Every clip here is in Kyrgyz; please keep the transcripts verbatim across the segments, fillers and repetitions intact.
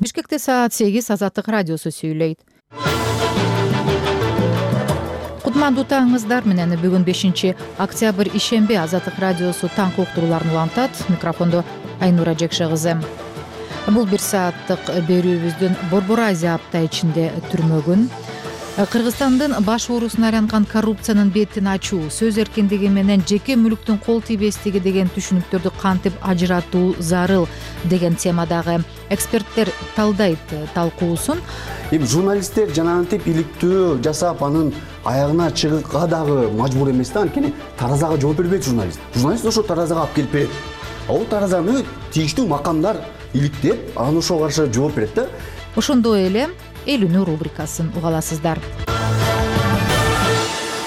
Бишкекте саат сегиз Азаттык радиосу сүйлөйт. Кутмандуу таңыңыздар менен. Бүгүн бешинчи октябрь ишемби. Азаттык радиосу таңкы уктурууларын улантат. Микрофондо Айнура Жекше кызы. Бул бир сааттык берүүбүздүн Борбор Азия апта ичинде түрмөгүн, Кыргызстандын баш оорусуна айланган коррупциянын бетин ачуу, сөз эркиндиги менен жеке мүлүктүн кол тийбестиги деген түшүнүктөрдү кантип ажыратуу зарыл деген темадагы эксперттер талдайт талкуусун. Эми журналисттер жанагынтип иликтөө жасап анын аягына чыгыкка дагы мажбур эмес да, анткени таразага жооп бербейт журналист. Журналист ошо таразага алып келип берет. Ал таразаны тийиштүү макамдар иликтеп, анан ошого каршы жооп берет да. Ошондой эле эл үнү рубрикасын уга аласыздар.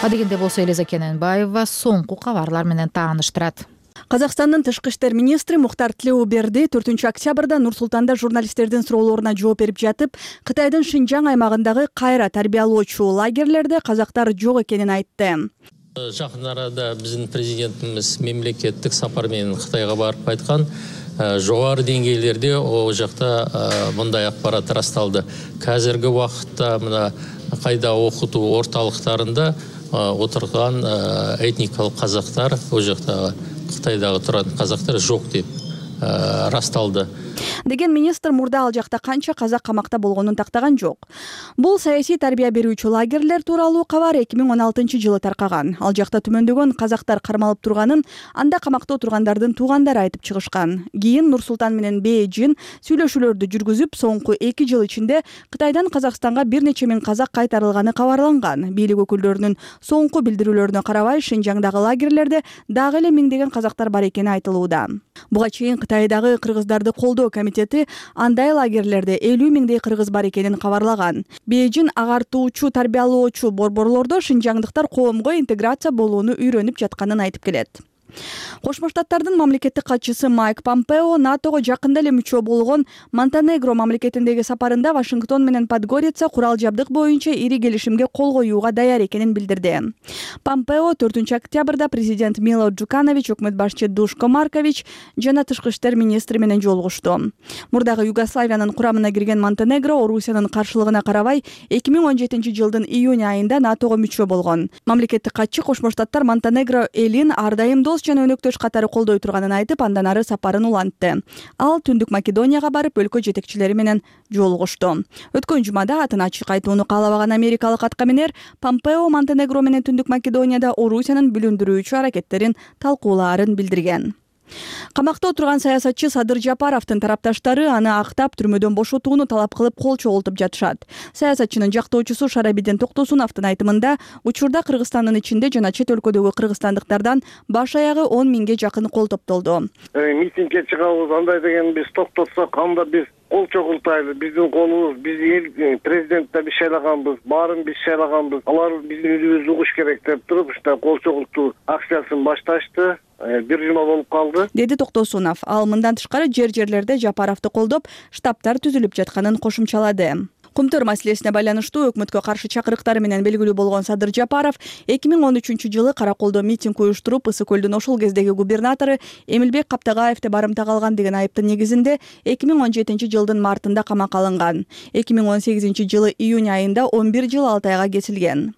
Адегенде болсо Элиза Кененбаева соңку кабарлар менен тааныштырат. Казакстандын тышкы иштер министри Мухтар Тилеуберди төртүнчү октябрда Нур-Султанда журналисттердин суроолоруна жооп берип жатып, Кытайдын Шинжаң аймагындагы кайра тарбиялоочу лагерлерде казактар жок экенин айтты. Жакын арада биздин президентибиз мемлекеттик сапар менен Кытайга барып кайткан. Жогору деңгээлерде о жакта мындай акпарат расталды. Казыркы убакытта мына кайда окутуу орталыктарында отурган этникалык казактар, о жакта Кытайдагы турган казактар жок деп расталды деген министр мурда ал жакта канча казак камакта болгонун тактаган жок. Бул саясий тарбия берүүчү лагерлер тууралуу кабар эки миң он алтынчы жылы таркаган. Ал жакта түмөндөгөн казактар кармалып турганын анда камакта отургандардын туугандары айтып чыгышкан. Кийин Нур-Султан менен Бейжин сүйлөшүүлөрдү жүргүзүп, соңку эки жыл ичинде Кытайдан Казакстанга бир нече миң казак кайтарылганы кабарланган. Бийлик өкүлдөрүнүн соңку билдирүүлөрүнө карабай, Шинжаңдагы лагерлерде дагы эле миңдеген казактар бар экени айтылууда. Буга чейин Кытайдагы кыргыздарды колдоо комитети андай лагерлерде элүү миңдей кыргыз бар экенин кабарлаган. Бейжин агартуучу, тарбиялоочу борборлордо шинжаңдыктар коомго интеграция болууну үйрөнүп жатканын айтып келет. Кошмо Штаттардын мамлекеттик катчысы Майк Помпео НАТОго жакында эле мүчө болгон Монтенегро мамлекетиндеги сапарында Вашингтон менен Подгорица курал жабдык боюнча ири келишимге кол коюуга даяр экенин билдирди. Помпео төртүнчү октябрда президент Мило Джуканович, өкмөт башчы Душко Маркович жана тышкы иштер министри менен жолугушту. Мурдагы Югославиянын курамына кирген Монтенегро Орусиянын каршылыгына карабай эки миң он жетинчи жылдын июнь айында НАТОго мүчө болгон. Мамлекеттик катчы Кошмо Штаттар Монтенегро элин ар дайым дос жана өнөктөш катары колдой турганын айтып, андан ары сапарын улантты. Ал Түндүк Македонияга барып, өлкө жетекчилери менен жолугушту. Өткөн жумада атын ачык айтууну каалабаган америкалык аткаминер Помпео Монтенегро менен Түндүк Македонияда Орусиянын бүлүндүрүүчү аракеттерин талкуулаарын билдирген. Камакта отурган саясатчы Садыр Жапаровдун тарапташтары аны актап түрмөдөн бошотууну талап кылып кол чогултуп жатышат. Саясатчынын жактоочусу Шарабиден Токтосуновдун айтымында, учурда Кыргызстандын ичинде жана чет өлкөдөгү кыргызстандыктардан баш аягы он миңге жакын кол топтолду. Митингге чыгабыз, андай деген биз токтотсок, анда биз кол чогултайлы, биздин колубуз, биз эл президентте биз шайлаганбыз, баарын биз шайлаганбыз, алар биздин үйүбүздү угуш керек деп туруп, ушундай кол чогултуу акциясын башташты. Бир жума болуп калды, деди Токтосунов. Ал мындан тышкары жер жерлерде Жапаровду колдоп, штабтар түзүлүп жатканын кошумчалады. Кумтөр маселесине байланыштуу өкмөткө каршы чакырыктары менен белгилүү болгон Садыр Жапаров эки миң он үчүнчү жылы Караколдо митинг уюштуруп, Ысык көлдүн ошол кездеги губернатору Эмилбек Каптагаевди барымтага алган деген айыптын негизинде эки миң он жетинчи жылдын мартында камакка алынган. эки миң он сегизинчи жылы июнь айында он бир жыл алты айга кесилген.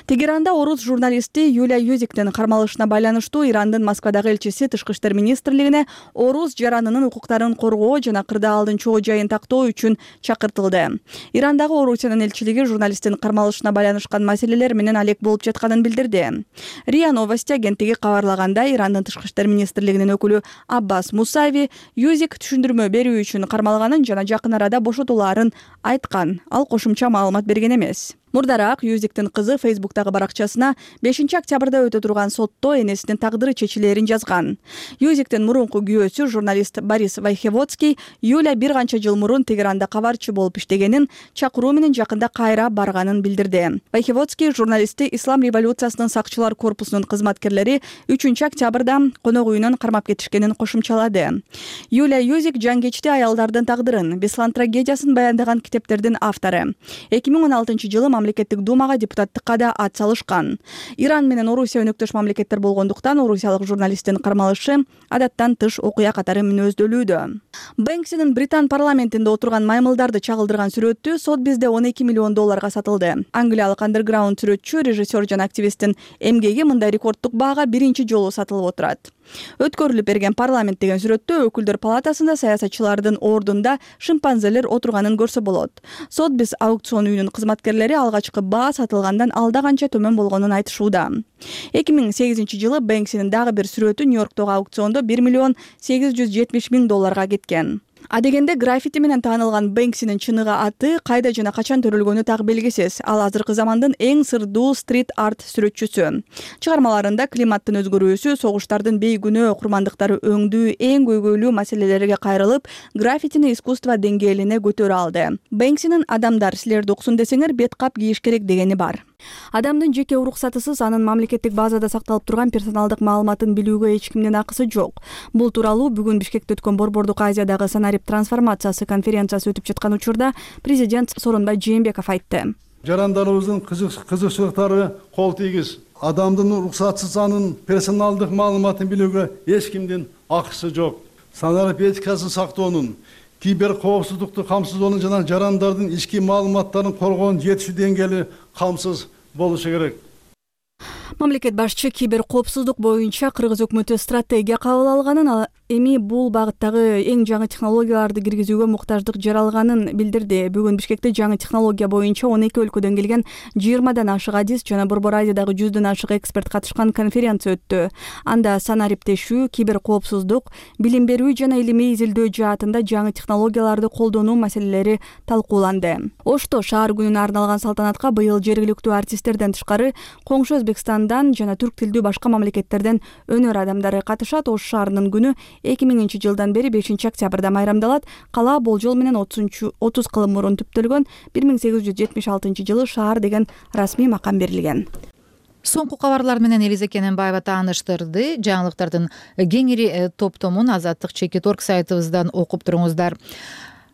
Тегеранда орус журналисти Юлия Юзиктин кармалышына байланыштуу Ирандын Москвадагы элчиси тышкы иштер министрлигине орус жаранынын укуктарын коргоо жана кырдаалдын чоо жайын тактоо үчүн чакыртылды. Ирандагы Орусиянын элчилиги журналисттин кармалышына байланышкан маселелер менен алек болуп жатканын билдирди. РИА Новости агенттиги кабарлагандай, Ирандын тышкы иштер министрлигинин өкүлү Аббас Мусави Юзик түшүндүрмө берүү үчүн кармалганын жана жакын арада бошотулаарын айткан. Ал кошумча маалымат берген эмес. Мурдараак Юзиктин кызы Фейсбуктагы баракчасына бешинчи октябрда өтө турган сотто энесинин тагдыры чечилээрин жазган. Юзиктин мурунку күйөөсү журналист Борис Вайхеводский Юля бир канча жыл мурун Тегеранда кабарчы болуп иштегенин, чакыруу менен жакында кайра барганын билдирди. Вайхеводский журналистти Ислам революциясынын сакчылар корпусунун кызматкерлери үчүнчү октябрда конок үйүнөн кармап кетишкенин кошумчалады. Юля Юзик жангечти аялдардын тагдырын, Беслан трагедиясын баяндаган китептердин автору. эки миң он алтынчы жылы мамлекеттик думага депутаттыкка да ат салышкан. Иран менен Орусия өнөктөш мамлекеттер болгондуктан орусиялык журналисттин кармалышы адаттан тыш окуя катары мүнөздөлүүдө. Бэнксинин Британ парламентинде отурган маймылдарды чагылдырган сүрөтү Сотбизде он эки миллион долларга сатылды. Англиялык андерграунд сүрөтчү, режиссер жана активисттин эмгеги мындай рекорддук баага биринчи жолу сатылып отурат. Өткөрүлүп берген парламент деген сүрөттө өкүлдөр палатасында саясатчылардын ордунда шимпанзелер отурганын көрсө болот. Сотбиз аукцион үйүнүн кызматкерлери алгачкы баа сатылгандан алда канча төмөн болгонун айтышууда. эки миң сегизинчи жылы Бэнксинин дагы бир сүрөтү Нью-Йорктогу аукциондо бир миллион сегиз жүз жетимиш миң долларга кеткен. Адегенде граффити менен таанылган Бэнксинин чыныгы аты кайда жана качан төрөлгөнү так белгисиз. Ал азыркы замандын эң сырдуу стрит-арт сүрөтчүсү. Чыгармаларында климаттын өзгөрүүсү, согуштардын бейгүнөө курмандыктары өңдүү эң көйгөйлүү маселелерге кайрылып, граффитини искусство деңгээлине көтөрө алды. Бэнксинин адамдар силерди уксун десеңер бет кап кийиш керек дегени бар. Адамдын жеке уруксатысыз анын мамлекеттик базада сакталып турган персоналдык маалыматын билүүгө эч кимдин акысы жок. Бул тууралуу бүгүн Бишкекте өткөн Борбордук Азиядагы санарип трансформациясы конференциясы өтүп жаткан учурда президент Сооронбай Жээнбеков айтты. Жарандарыбыздын кызыкчылыктары кол тийгиз. Адамдын уруксатсыз анын персоналдык маалыматын билүүгө эч кимдин акысы жок. Санарип этикасын сактоонун, кибер коопсуздукту камсыздоонун жана жарандардын ички маалыматтарын коргоонун жетишүү деңгээли камсыз болушу керек. Мамлекет башчы кибер коопсуздук боюнча Кыргыз өкмөтү стратегия кабыл алганын, эми бул багыттагы эң жаңы технологияларды киргизүүгө муктаждык жаралганын билдирди. Бүгүн Бишкекте жаңы технология боюнча он эки өлкөдөн келген жыйырмадан ашык адис жана Борбор Азиядагы жүздөн ашык эксперт катышкан конференция өттү. Анда санариптешүү, кибер коопсуздук, билим берүү жана илимий изилдөө жаатында жаңы технологияларды колдонуу маселелери талкууланды. Ошто шаар күнүнө арналган салтанатка быйыл жергиликтүү артисттерден тышкары коңшу Өзбекстандан жана түрк тилдүү башка мамлекеттерден өнөр адамдары катышат. Ош шаарынын күнү эки миңинчи жылдан бери бешинчи октябрда майрамдалат. Кала болжол менен отуз кылым мурун түптөлгөн. бир миң сегиз жүз жетимиш алтынчы жылы шаар деген расмий макам берилген. Соңку кабарлар менен Элиза Кененбаева тааныштырды. Жаңылыктардын кеңири топтомун Азаттык чекит орг сайтыбыздан окуп туруңуздар.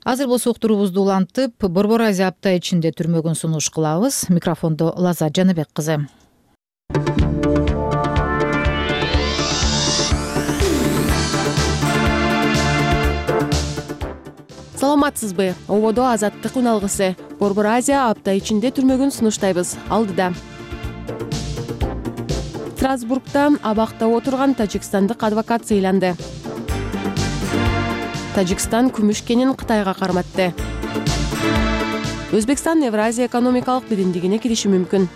Азыр болсо уктуруубузду улантып, Борбор Азия апта ичинде түрмөгүн сунуш кылабыз. Микрофондо Лаза Жаныбек кызы. Саламатсызбы? Ободо Азаттык үн алгысы. Борбор Азия апта ичинде түрмөгүн сунуштайбыз. Алдыда. Страсбургда абакта отурган тажикстандык адвокат сыйланды. Тажикстан күмүш кенин Кытайга карматты. Өзбекстан Евразия экономикалык биримдигине кириши мүмкүн.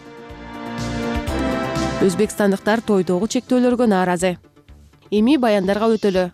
Өзбекстандыктар тойдогу чектөөлөргө нааразы. Эми баяндарга өтөлү.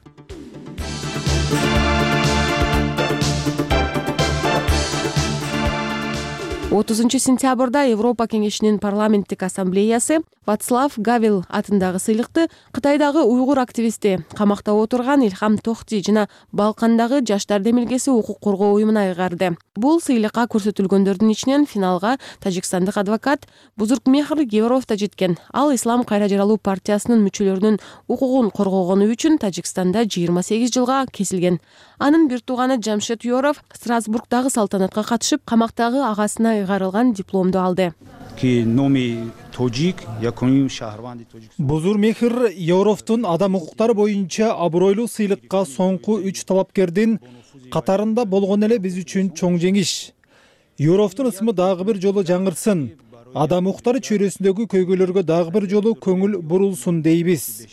отузунчу сентябрда Европа кеңешинин парламенттик ассамблеясы Вацлав Гавел атындагы сыйлыкты Кытайдагы уйгур активисти, камакта отурган Илхам Тохти жана Балкандагы жаштар демилгеси укук коргоо уюмуна ыйгарды. Бул сыйлыкка көрсөтүлгөндөрдүн ичинен финалга тажикстандык адвокат Бузургмехр Гевров да жеткен. Ал Ислам кайра жаралуу партиясынын мүчөлөрүнүн укугун коргогону үчүн Тажикстанда жыйырма сегиз жылга кесилген. Анын бир тууганы Жамшед Юров Страсбургдагы салтанатка катышып, камактагы агасына ыйгарылган дипломду алды. Бузургмехр Евровдун адам укуктары боюнча абройлуу сыйлыкка соңку үч талапкердин катарында болгон эле биз үчүн чоң жеңиш. Евровдун ысымы дагы бир жолу жаңырсын. Адам укуктары чөйрөсүндөгү көйгөйлөргө дагы бир жолу көңүл бурулсун дейбиз.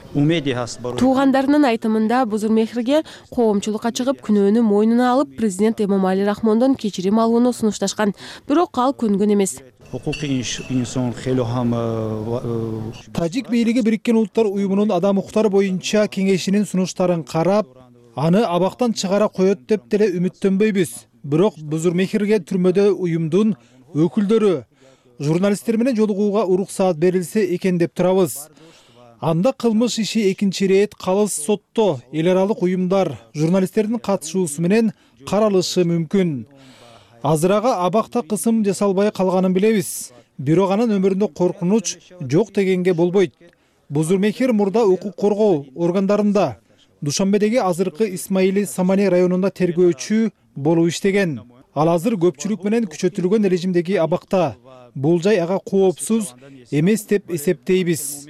Туугандарынын айтымында Бузургмехрге коомчулукка чыгып күнөөнү мойнуна алып, президент Эмомали Рахмондон кечирим алууну сунушташкан. Бирок ал көнгөн эмес. Тажик бийлиги Бириккен Улуттар уюмунун адам укуктары боюнча кеңешинин сунуштарын карап, аны абактан чыгара коет деп деле үмүттөнбөйбүз. Бирок Бузургмехрге түрмөдө уюмдун өкүлдөрү, журналисттер менен жолугууга уруксаат берилсе экен деп турабыз. Анда кылмыш иши экинчи ирет калыс сотто эл аралык уюмдар, журналисттердин катышуусу менен каралышы мүмкүн. Азырага абакта кысым жасалбай калганын билебиз. Бирок анын өмүрүндө коркунуч жок дегенге болбойт. Бузургмехр мурда укук коргоо органдарында Душанбедеги азыркы Исмаили Самани районунда тергөөчү болуп иштеген. ал азыр көпчүлүк менен күчөтүлгөн режимдеги абакта. Бул жай ага коопсуз эмес деп эсептейбиз.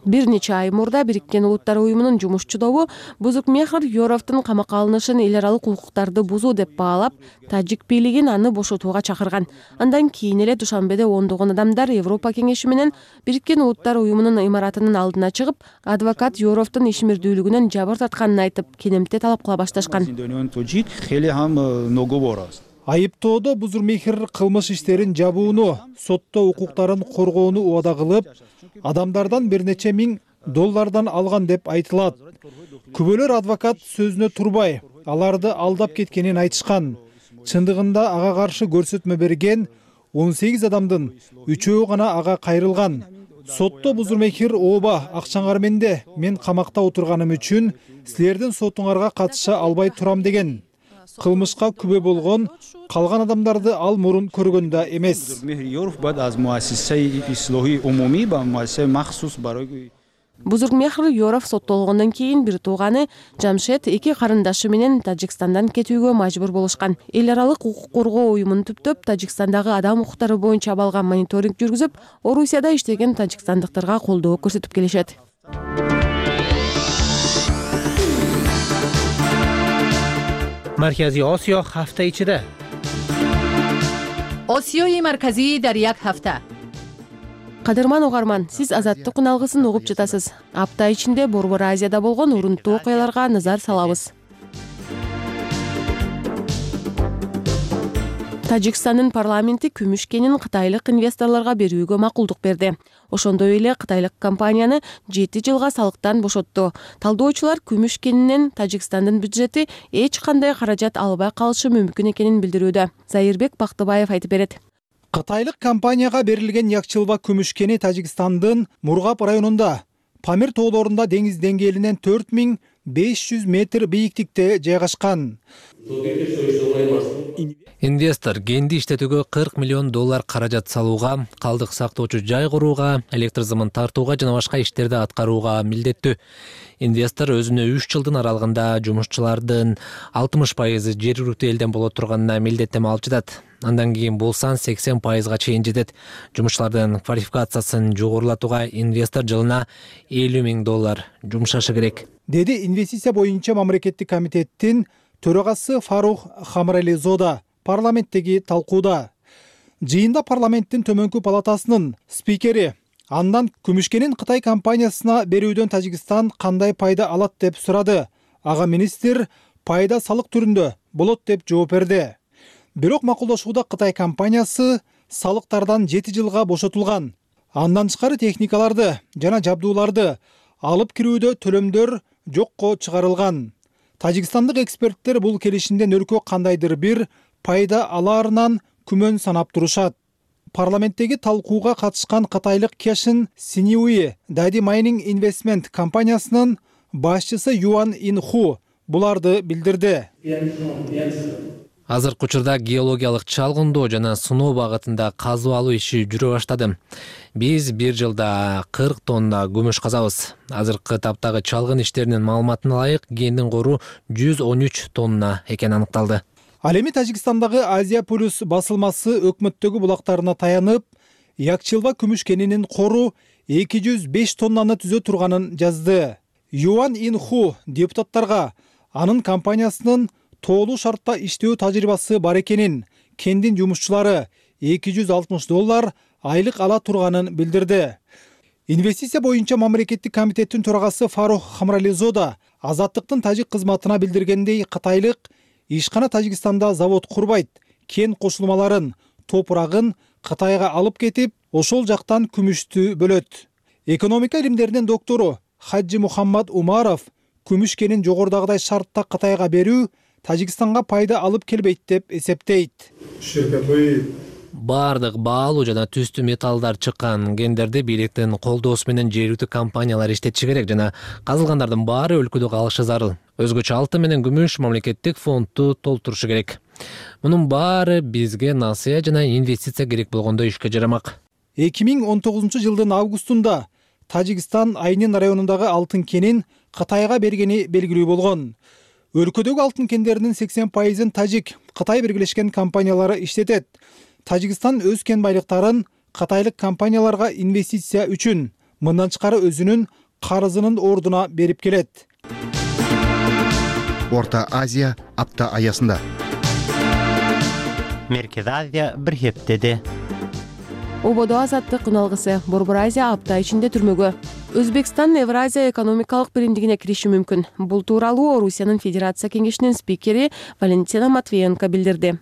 Бир нече ай мурда Бириккен Улуттар уюмунун жумушчу тобу Бузуркмехр Ёровдун камакка алынышын эл аралык укуктарды бузуу деп баалап, тажик бийлигин аны бошотууга чакырган. Андан кийин эле Душанбеде ондогон адамдар Европа кеңеши менен Бириккен Улуттар уюмунун имаратынын алдына чыгып, адвокат Ёровдун ишмердүүлүгүнөн жабыр тартканын айтып, кенемте талап кыла башташкан. Айыптоодо Бузуркмехр кылмыш иштерин жабууну, сотто укуктарын коргоону убада кылып, адамдардан бир нече миң доллардан алган деп айтылат. Күбөлөр адвокат сөзүнө турбай, аларды алдап кеткенин айтышкан. Чындыгында ага каршы көрсөтмө берген он сегиз адамдын үчөө гана ага кайрылган. Сотто Бузуркмехр ооба, акчаңар менде, мен камакта отурганым үчүн силердин сотуңарга катыша албай турам деген. Кылмышка күбө болгон калган адамдарды ал мурун көргөн да эмес. Бузуркмехр Ёров соттолгондон кийин бир тууганы Жамшед эки карындашы менен Тажикстандан кетүүгө мажбур болушкан. Эл аралык укук коргоо уюмун түптөп Тажикстандагы адам укуктары боюнча абалган мониторинг жүргүзүп, Орусияда иштеген тажикстандыктарга колдоо көрсөтүп келишет. Маркази Осиё ҳафта ичида. Осиёи марказӣ дар як ҳафта. Кадырман угарман, сиз Азаттык алгысын угуп жатасыз. Апта ичинде Борбор Азияда болгон урунттуу окуяларга назар салабыз. Тажикстандын парламенти күмүш кенин кытайлык инвесторлорго берүүгө макулдук берди. Ошондой эле кытайлык компанияны жети жылга салыктан бошотту. Талдоочулар күмүш кенинен Тажикстандын бюджети эч кандай каражат албай калышы мүмкүн экенин билдирүүдө. Зайырбек Бактыбаев айтып берет. Кытайлык компанияга берилген Якчылба күмүш кени Тажикстандын Мургап районунда, Памир тоолорунда деңиз деңгээлинен төрт миң беш жүз метр бийиктикте жайгашкан. Инвестор кенди иштетүүгө кырк миллион доллар каражат салууга, калдык сактоочу жай курууга, электр зымын тартууга жана башка иштерди аткарууга милдеттүү. Инвестор өзүнө үч жылдын аралыгында жумушчулардын алтымыш пайызы жергиликтүү элден боло турганына милдеттеме алып жатат. Андан кийин бул сан сексен пайызга чейин жетет. Жумушчулардын квалификациясын жогорулатууга инвестор жылына элүү миң доллар жумшашы керек, деди инвестиция боюнча мамлекеттик комитеттин төрагасы Фарух Хамрализода парламенттеги талкууда. Жыйында парламенттин төмөнкү палатасынын спикери андан күмүшкенин Кытай компаниясына берүүдөн Тажикстан кандай пайда алат деп сурады. Ага министр пайда салык түрүндө болот деп жооп берди. Бирок макулдашууда Кытай компаниясы салыктардан жети жылга бошотулган. Андан тышкары техникаларды жана жабдууларды алып кирүүдө төлөмдөр жокко чыгарылган. Тажикстандык эксперттер бул келишимден өркө кандайдыр бир пайда алаарынан күмөн санап турушат. Парламенттеги талкууга катышкан кытайлык Кешин Синьюи Дади Майнинг Инвестмент компаниясынын башчысы Юан Инху буларды билдирди. Азыркы учурда геологиялык чалгындоо жана сыноо багытында казуу алуу иши жүрө баштады. Биз бир жылда кырк тонна күмүш казабыз. Азыркы таптагы чалгын иштеринин маалыматына ылайык кендин кору жүз он үч тонна экени аныкталды. Ал эми Тажикстандагы Азия Плюс басылмасы өкмөттөгү булактарына таянып, Якчылба күмүш кенинин кору эки жүз беш тоннаны түзө турганын жазды. Юан Инху депутаттарга анын компаниясынын тоолуу шартта иштөө тажрыйбасы бар экенин, кендин жумушчулары эки жүз алтымыш доллар айлык ала турганын билдирди. Инвестиция боюнча мамлекеттик комитеттин төрагасы Фарух Хамрализода Азаттыктын тажик кызматына билдиргендей, кытайлык ишкана Тажикстанда завод курбайт, кен кошулмаларын, топурагын Кытайга алып кетип, ошол жактан күмүштү бөлөт. Экономика илимдеринин доктору Хаджи Мухаммад Умаров күмүш кенин жогорудагыдай шартта Кытайга берүү Тажикстанга пайда алып келбейт деп эсептейт. Бардык баалуу жана түстүү металлдар чыккан кендерди бийликтин колдоосу менен жергиликтүү компаниялар иштетиши керек жана казылгандардын баары өлкөдө калышы зарыл. Өзгөчө алтын менен күмүш мамлекеттик фондду толтурушу керек. Мунун баары бизге насыя жана инвестиция керек болгондо ишке жарамак. эки миң он тогузунчу жылдын августунда Тажикстан Айнин районундагы алтын кенин Кытайга бергени белгилүү болгон. Өлкөдөгү алтын кендеринин сексен пайызын Тажик, Кытай биргелешкен компаниялары иштетет. Тажикстан өз кен байлыктарын кытайлык компанияларга инвестиция үчүн, мындан тышкары өзүнүн карызынын ордуна берип келет. Орта Азия апта аясында. Меркез Азия бир хептеди. Ободо азаттык үналгысы Борбор Азия апта ичинде түрмөгө. Өзбекстан Евразия экономикалык биримдигине кириши мүмкүн. Бул тууралуу Орусиянын Федерация кеңешинин спикери Валентина Матвиенко билдирди.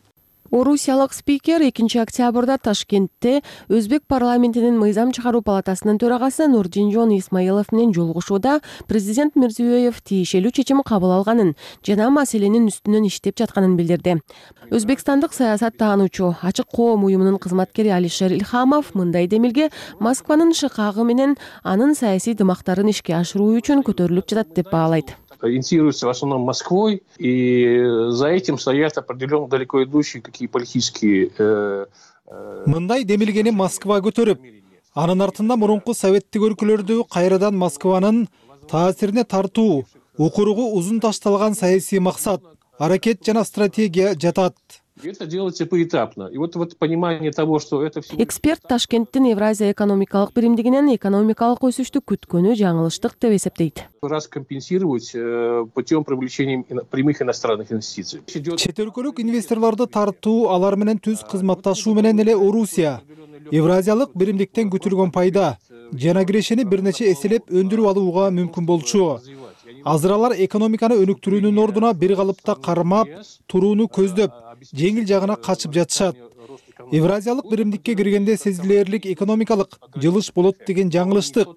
Орусиялык спикер экинчи октябрда Ташкентте Өзбек парламентинин мыйзам чыгаруу палатасынын төрагасы Нурдинжон Исмаилов менен жолугушууда президент Мирзиёев тиешелүү чечим кабыл алганын жана маселенин үстүнөн иштеп жатканын билдирди. Өзбекстандык саясат таануучу Ачык коом уюмунун кызматкери Алишер Илхамов мындай демилге Москванын шыкагы менен анын саясий дымактарын ишке ашыруу үчүн көтөрүлүп жатат деп баалайт. Инициируется в основном Москвой, и за этим стоят определенно далеко идущие какие политические. Мындай демилгени Москва көтөрүп, анын артында мурунку советтик өлкөлөрдү кайрадан Москванын таасирине тартуу, укуругу узун ташталган саясий максат, аракет жана стратегия жатат. Это делается поэтапно. И вот вот понимание того, что это все. Эксперт Ташкенттин Евразия экономикалык биримдигинен экономикалык өсүштү күткөнү жаңылыштык деп эсептейт. Раз компенсировать путем привлечения прямых иностранных инвестиций. Чет өлкөлүк инвесторлорду тартуу, алар менен түз кызматташуу менен эле Орусия Евразиялык биримдиктен күтүлгөн пайда жана кирешени бир нече эселеп өндүрүп алууга мүмкүн болчу. Азыр алар экономиканы өнүктүрүүнүн ордуна бир калыпта кармап, турууну көздөп, жеңил жагына качып жатышат. Евразиялык биримдикке киргенде сезилерлик экономикалык жылыш болот деген жаңылыштык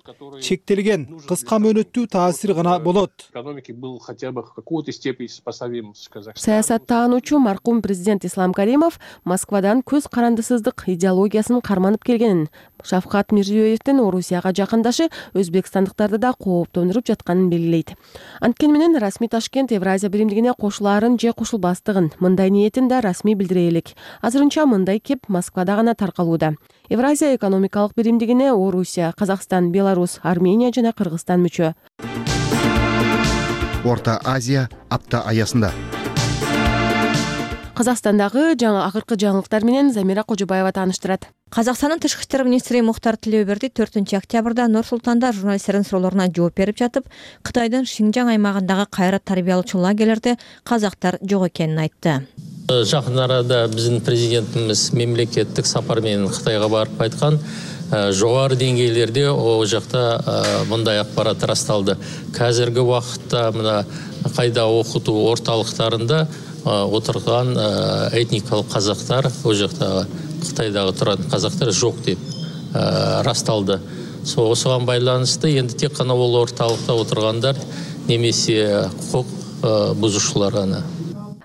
чектелген, кыска мөөнөттүү таасир гана болот. Экономики был хотя бы в какой-то степени сопоставим с Казахстаном. Саясаттаануучу маркум президент Ислам Каримов Москвадан көз карандысыздык идеологиясын карманып келгенин, Шавкат Мирзиёевдин Орусияга жакындашы өзбекстандыктарды да кооптондуруп жатканын белгилейт. Анткени менен расмий Ташкент Евразия биримдигине кошулаарын же кошулбастыгын, мындай ниетин да расмий билдире элек. Азырынча мындай кеп Москвада гана таркалууда. Евразия экономикалык биримдигине Орусия, Казакстан, Беларусь, Армения жана Кыргызстан мүчө. Орта Азия апта аясында. Казакстандагы жаңы акыркы жаңылыктар менен Замира Кожобаева тааныштырат. Казакстандын тышкы иштер министри Мухтар Тилеуберди төртүнчү октябрда Нур Султанда журналисттердин суроолоруна жооп берип жатып, Кытайдын Шинжаң аймагындагы кайра тарбиялоочу лагерлерде казактар жок экенин айтты. Жакын арада биздин президентimiz мемлекеттик сапар менен Кытайга барып кайткан. Жогору деңгээлерде о жакта мындай акпарат расталды. Казыркы убакытта мына кайда окутуу орталыктарында отурган этникалык казактар, о жакта Кытайдагы турган казактар жок деп расталды. Осуга байланыштуу энди тек гана бул орталыкта отургандар немесе укук бузушуулар гана.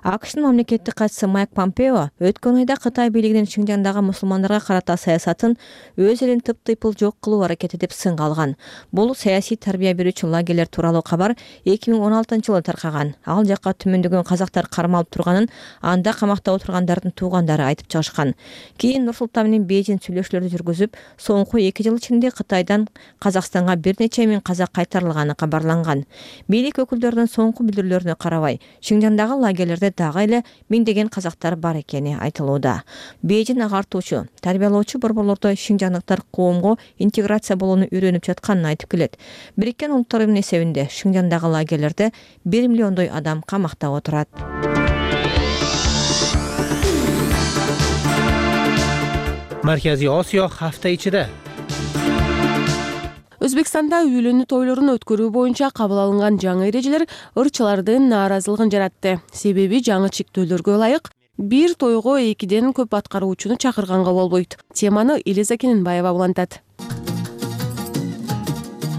АКШтын мамлекеттик катчысы Майк Помпео өткөн айда Кытай бийлигинин Шинжаңдагы мусулмандарга карата саясатын өз элин тып-тыйпыл жок кылуу аракети деп сынга алган. Бул саясий тарбия берүүчү лагерлер тууралуу кабар эки миң он алтынчы жылы таркаган. Ал жакка түмөндөгөн казактар кармалып турганын, анда камакта отургандардын туугандары айтып чыгышкан. Кийин Нур Султан менен Бейжин сүйлөшүүлөрдү жүргүзүп, соңку эки жыл ичинде Кытайдан Казакстанга бир нече миң казак кайтарылганы кабарланган. Бийлик өкүлдөрүнүн соңку билдирүүлөрүнө карабай, Шинжаңдагы лагерлерде дагы эле миңдеген казактар бар экени айтылууда. Бейжин агартуучу, тарбиялоочу борборлордо шинжаңдыктар коомго интеграция болууну үйрөнүп жатканын айтып келет. Бириккен Улуттар Уюмунун эсебинде Шинжаңдагы лагерлерде бир миллиондой адам камакта отурат. Марказий Осиё hafta ичиде. Өзбекстанда үйлөнүү тойлорун өткөрүү боюнча кабыл алынган жаңы эрежелер ырчылардын нааразылыгын жаратты. Себеби жаңы чектөөлөргө ылайык бир тойго экиден көп аткаруучуну чакырганга болбойт. Теманы Элиза Кененбаева улантат.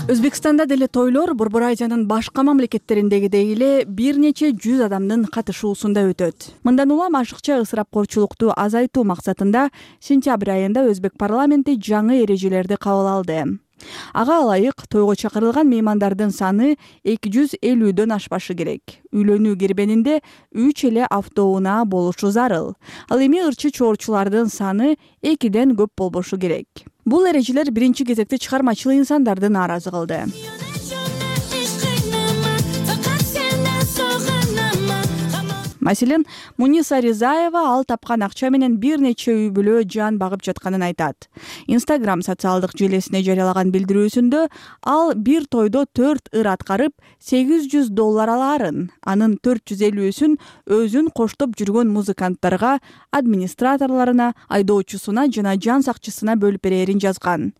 Өзбекстанда деле тойлор Борбор Азиянын башка мамлекеттериндегидей эле бир нече жүз адамдын катышуусунда өтөт. Мындан улам ашыкча ысырапкорчулукту азайтуу максатында сентябрь айында Өзбек парламенти жаңы эрежелерди кабыл алды. Ага ылайык тойго чакырылган меймандардын саны эки жүз элүүдөн ашпашы керек. Үйлөнүү кирбенинде үч эле автоунаа болушу зарыл. Ал эми ырчы чоорчулардын саны экиден көп болбошу керек. Бул эрежелер биринчи кезекте чыгармачыл инсандарды нааразы кылды. Маселен, Муниса Ризаева ал тапкан акча менен бир нече үй бүлө жан багып жатканын айтат. Instagram социалдык желесине жарыялаган билдирүүсүндө ал бир тойдо төрт ыр аткарып сегиз жүз доллар алаарын, анын төрт жүз элүүсүн өзүн коштоп жүргөн музыканттарга, администраторлоруна, айдоочусуна жана жан сакчысына бөлүп берерин жазган.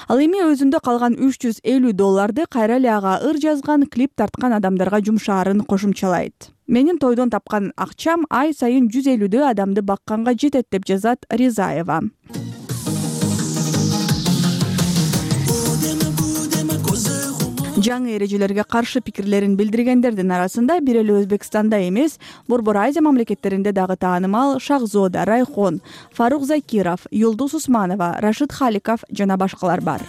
Ал эми өзүндө калган үч жүз элүү долларды кайра эле ага ыр жазган, клип тарткан адамдарга жумшаарын кошумчалайт. Менин тойдон тапкан акчам ай сайын жүз элүүдө адамды бакканга жетет деп жазат Ризаева. Жаңы эрежелерге каршы пикирлерин билдиргендердин арасында бир эле Өзбекстанда эмес, Борбор Азия мамлекеттеринде дагы таанымал Шахзода Райхон, Фарук Закиров, Юлдуз Усманова, Рашид Халиков жана башкалар бар.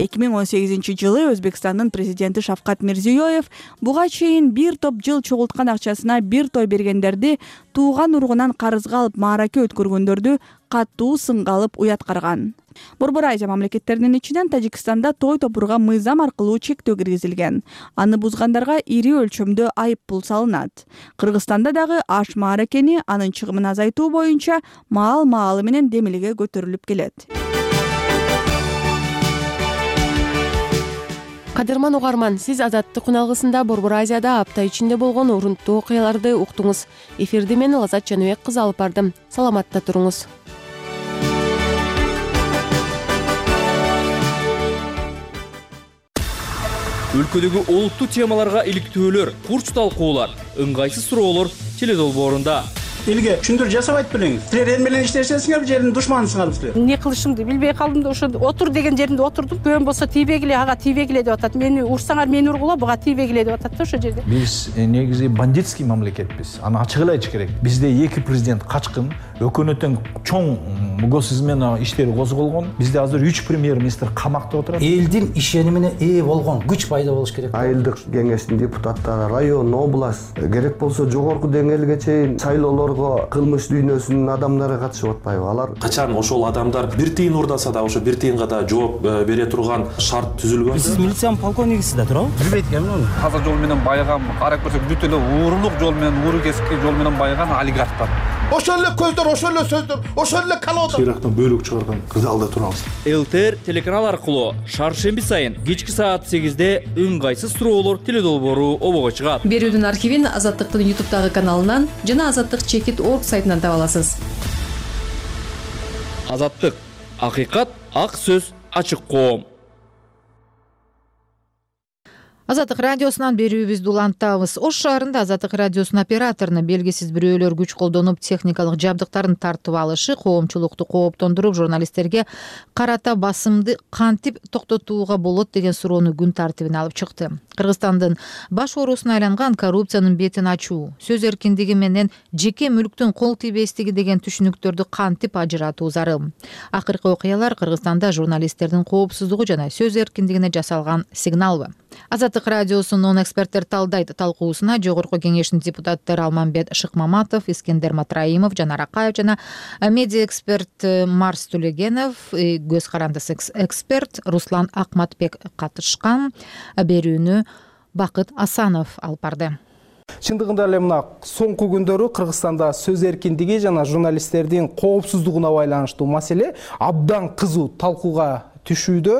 эки миң он сегизинчи жылы Өзбекстандын президенти Шавкат Мирзиёев буга чейин бир топ жыл чогулткан акчасына бир той бергендерди тууган ургунан карызга алып маараке өткөргөндөрдү катуу сынга алып уят карган. Борбор Азия мамлекеттеринин ичинен Тажикстанда той топурга мыйзам аркылуу чектөө киргизилген. Аны бузгандарга ири өлчөмдө айып пул салынат. Кыргызстанда дагы аш мааракени анын чыгымын азайтуу боюнча маал маалы менен демилге көтөрүлүп келет. Кадырман угарман, сиз Азаттык күналгысында Борбор Азияда апта ичинде болгон урунттуу окуяларды уктуңуз. Эфирди мен Лазат Жаныбек кызы алып бардым. Саламатта туруңуз. Өлкөдөгү олуттуу темаларга иликтөөлөр, курч талкуулар, ыңгайсыз суроолор теледолбоорунда. Элге түшүндүрүү жасабайт белеңиз. Силер эл менен иштешесиңер, жердин душманысыңар силер. Эмне кылышымды билбей калдым да ошо отур деген жеримде отурдум. Көөм болсо тийбегиле, ага тийбегиле деп атат. Мени урсаңар мени ургула, буга тийбегиле деп атат да ошо жерде. Биз негизи бандитский мамлекетпиз. Аны ачык эле айтыш керек. Бизде эки президент качкын, өкмөттүн чоң госизмена иштери козголгон. Бизде азыр үч премьер-министр камакта отурат. Элдин ишенимине ээ болгон күч пайда болуш керек. Айылдык кеңештин депутаттары, район, область, керек болсо жогорку деңгээлге чейин шайлоолор кылмыш дүйнөсүнүн адамдары катышып атпайбы? Алар качан ошол адамдар бир тыйын урдаса да ошо бир тыйынга да жооп бере турган шарт түзүлгөн. Сиз милициянын полковнигисиз да туурабы? Билбейт экенмин. Таза жол менен байыган, карап көрсөк бүт эле уурулук жол менен, ууру кески жол менен байыган олигархтар. Ошол эле көздөр, ошол эле сөздөр, ошол эле калоодо. Сыйрактан бөлүк чыгарган залда турабыз. ЛТР телеканал аркылуу шаршемби сайын кечки саат сегизде ыңгайсыз суроолор теледолбоору обого чыгат. Берүүдүн архивин Азаттыктын ютубтагы каналынан жана азаттык чекит точка орг сайтынан таба аласыз. Азаттык, акыйкат, ак сөз, ачык коом. Азаттык радиосунан берүүбүздү улантабыз. Ош шаарында Азаттык радиосунун операторуна белгисиз бирөөлөр күч колдонуп техникалык жабдыктарын тартып алышы коомчулукту кооптондуруп, журналисттерге карата басымды кантип токтотууга болот деген суроону күн тартибине алып чыкты. Кыргызстандын баш оорусуна айланган коррупциянын бетин ачуу, сөз эркиндиги менен жеке мүлктүн кол тийбестиги деген түшүнүктөрдү кантип ажыратуу зарыл. Акыркы окуялар Кыргызстанда журналисттердин коопсуздугу жана сөз эркиндигине жасалган сигналбы? Азаттык радиосунун эксперттер талдайт талкуусуна жогорку кеңештин депутаттары Алмамбет Шыкмаматов, Искендер Матраимов, Жанар Акаев жана медиа эксперт Марс Тулегенов, көз карандысы эксперт Руслан Акматбек катышкан. Берүүнү Бакыт Асанов алып барды. Чындыгында эле мына соңку күндөрү Кыргызстанда сөз эркиндиги жана журналисттердин коопсуздугуна байланыштуу маселе абдан кызуу талкууга түшүүдө.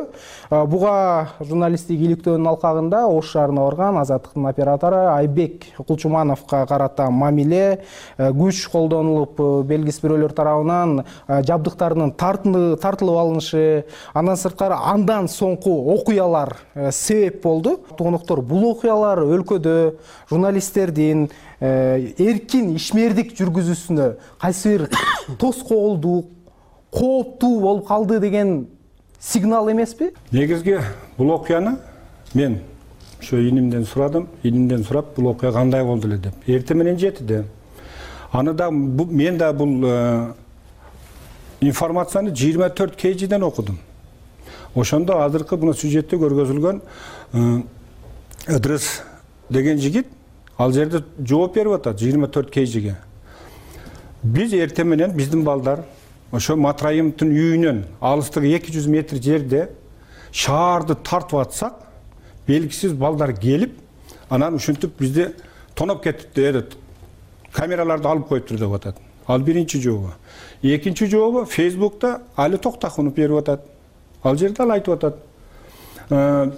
Буга журналисттик иликтөөнүн алкагында Ош шаарына барган Азаттыктын оператору Айбек Кулчумановго карата мамиле, күч колдонулуп белгисиз бирөөлөр тарабынан жабдыктарынын тартылып алынышы, андан сырткары андан соңку окуялар себеп болду. Тугунуктор, бул окуялар өлкөдө журналисттердин эркин ишмердик жүргүзүүсүнө кайсы бир тоскоолдук, кооптуу болуп калды деген сигнал эмеспи? Негизги бул окуяны мен ошо инимден сурадым, инимден сурап, бул окуя кандай болду эле деп. Эртең менен жетиде аны да мен да бул информацияны жыйырма төрт кейжиден окудум. Ошондо азыркы мына сюжетте көргөзүлгөн Ыдырыс деген жигит ал жерде жооп берип атат жыйырма төрт кейжиге. Биз эртең менен биздин балдар ошо Матраимовдун үйүнөн алыстыгы эки жүз метр жерде шаарды тартып атсак, белгисиз балдар келип, анан ушинтип бизди тоноп кетиптир, камераларды алып коюптур деп атат. Ал биринчи жообу. Экинчи жообу Фейсбукта Али Токтахунов берип атат. Ал жерде ал айтып атат.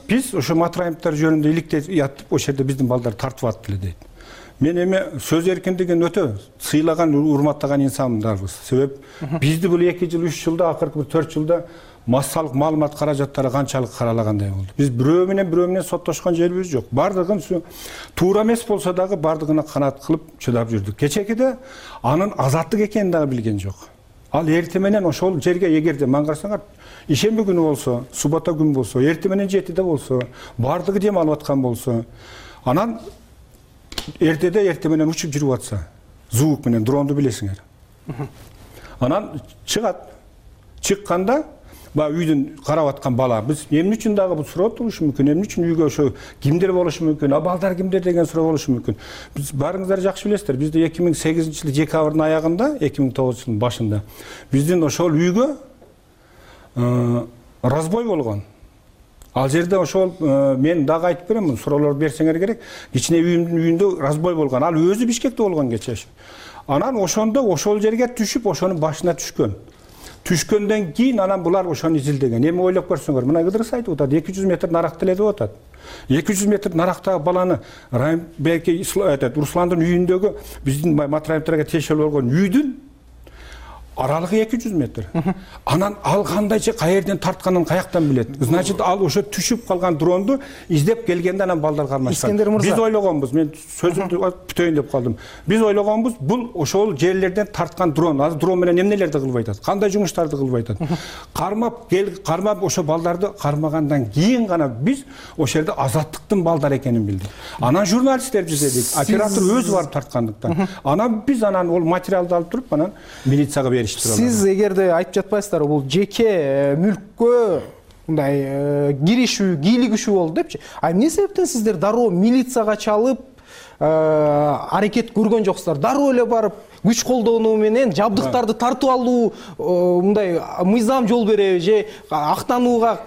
Биз ошо Матраимовдор жөнүндө иликтеп ятып, ошол жерде биздин балдар тартып атты эле дейт. Мен эми сөз эркиндигин өтө сыйлаган, урматтаган инсандарбыз. Себеп бизди бул эки жыл, үч жылда, акыркы бир төрт жылда массалык маалымат каражаттары канчалык каралагандай болду. Биз бирөө менен бирөө менен соттошкон жерибиз жок. Бардыгын туура эмес болсо дагы бардыгына канаат кылып чыдап жүрдүк. Кечекиде анын азаттык экенин дагы билген жок. Ал эртең менен ошол жерге эгерде ман карасаңар, ишемби күнү болсо, суббота күн болсо, эртең менен жетиде болсо, бардыгы дем алып аткан болсо, анан эртеде эртең менен учуп жүрүп атса, звук менен дронду билесиңер. Анан чыгат. Чыкканда ба үйдөн карап аткан бала, биз эмне үчүн дагы бул суроо турушу мүмкүн, эмне үчүн үйгө ошо кимдер болушу мүмкүн, а балдар кимдер деген суроо болушу мүмкүн. Биз баарыңыздар жакшы билесиздер, бизде эки миң сегизинчи жылы декабрдын аягында, эки миң тогузунчу жылдын башында биздин ошол үйгө разбой болгон. Ал жерде ошол мен дагы айтып берем, суроолор берсеңер керек, кичине үйүмдүн үйүндө разбой болгон. Ал өзү Бишкекте болгон кечеш. Анан ошондо ошол жерге түшүп, ошонун башына түшкөн. Түшкөндөн кийин анан булар ошону изилдеген. Эми ойлоп көрсөңөр, мына Ыдырыс айтып атат, эки жүз метр наракта эле деп атат. эки жүз метр нарактагы баланы Райымбек Русландын үйүндөгү биздин Матраимовдорго тиешелүү болгон үйдүн аралыгы эки жүз метр. Анан ал кандайча каерден тартканын каяктан билет? Значит, ал ошо түшүп калган дронду издеп келгенде анан балдар кармашкан. Биз ойлогонбуз, мен сөзүмдү бүтөйүн деп калдым. Биз ойлогонбуз, бул ошол жерлерден тарткан дрон. Азыр дрон менен эмнелерди кылбай атат? Кандай жумуштарды кылбай атат? Кармап кел, кармап ошо балдарды кармагандан кийин гана биз ошол жерде азаттыктын балдар экенин билдик. Анан журналисттер издедик. Оператор өзү барып тарткандыктан. Анан биз анан ол материалды алып туруп, анан милицияга бердик. Сиз эгерде айтып жатпайсыздар, бул жеке мүлккө мындай киришүү, кийлигишүү болду депчи. А эмне себептен сиздер дароо милицияга чалып аракет көргөн жоксуздар? Дароо эле барып күч колдонуу менен жабдыктарды тартып алуу мындай мыйзам жол береби же актанууга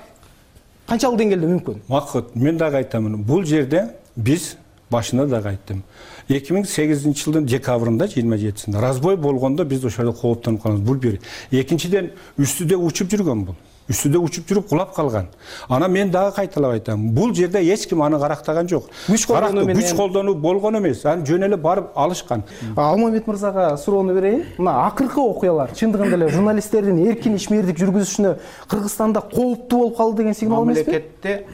канчалык деңгээлде мүмкүн? Максат, мен дагы айтамын. Бул жерде биз башында дагы айттым. эки миң сегизинчи жылдын декабрында жыйырма жетисинде разбой болгондо биз ошол жерде кооптонуп калабыз. Бул бир. Экинчиден үстүдө учуп жүргөн бул. Үстүдө учуп жүрүп кулап калган. Анан мен дагы кайталап айтам. Бул жерде эч ким аны карактаган жок. Күч колдонуу менен күч колдонуу болгон эмес. Аны жөн эле барып алышкан. Алмамбет мырзага суроону берейин. Мына акыркы окуялар чындыгында эле журналисттердин эркин ишмердик жүргүзүшүнө Кыргызстанда кооптуу болуп калды деген сигнал эмеспи? Мамлекетте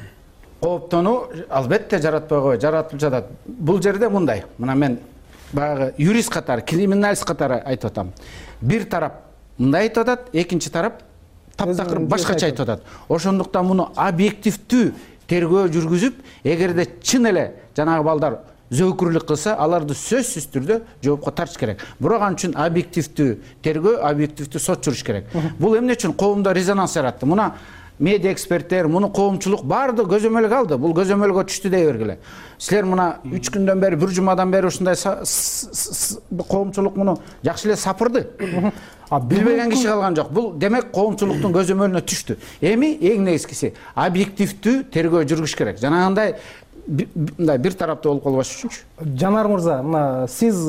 кооптонуу албетте жаратпай койбойт, жаратылып жатат. Бул жерде мындай. Мына мен баягы юрист катары, криминалист катары айтып атам. Бир тарап мындай айтып атат, экинчи тарап таптакыр башкача айтып атат. Ошондуктан муну объективдүү тергөө жүргүзүп, эгерде чын эле жанагы балдар зөөкүрлүк кылса, аларды сөзсүз түрдө жоопко тартыш керек. Бирок ал үчүн объективдүү тергөө, объективдүү сот жүрүш керек. Бул эмне үчүн коомдо резонанс жаратты? Муна медиа эксперттер, муну коомчулук баарды көзөмөлгө алды. Бул көзөмөлгө түштү дей бергиле. Силер мына үч күндөн бери, бир жумадан бери ушундай коомчулук муну жакшы эле сапырды. Билбеген киши калган жок. Бул демек коомчулуктун көзөмөлүнө түштү. Эми эң негизгиси объективдүү тергөө жүргүш керек. Жанагындай мындай бир тараптуу болуп калбаш үчүнчү. Жанар мырза, мына сиз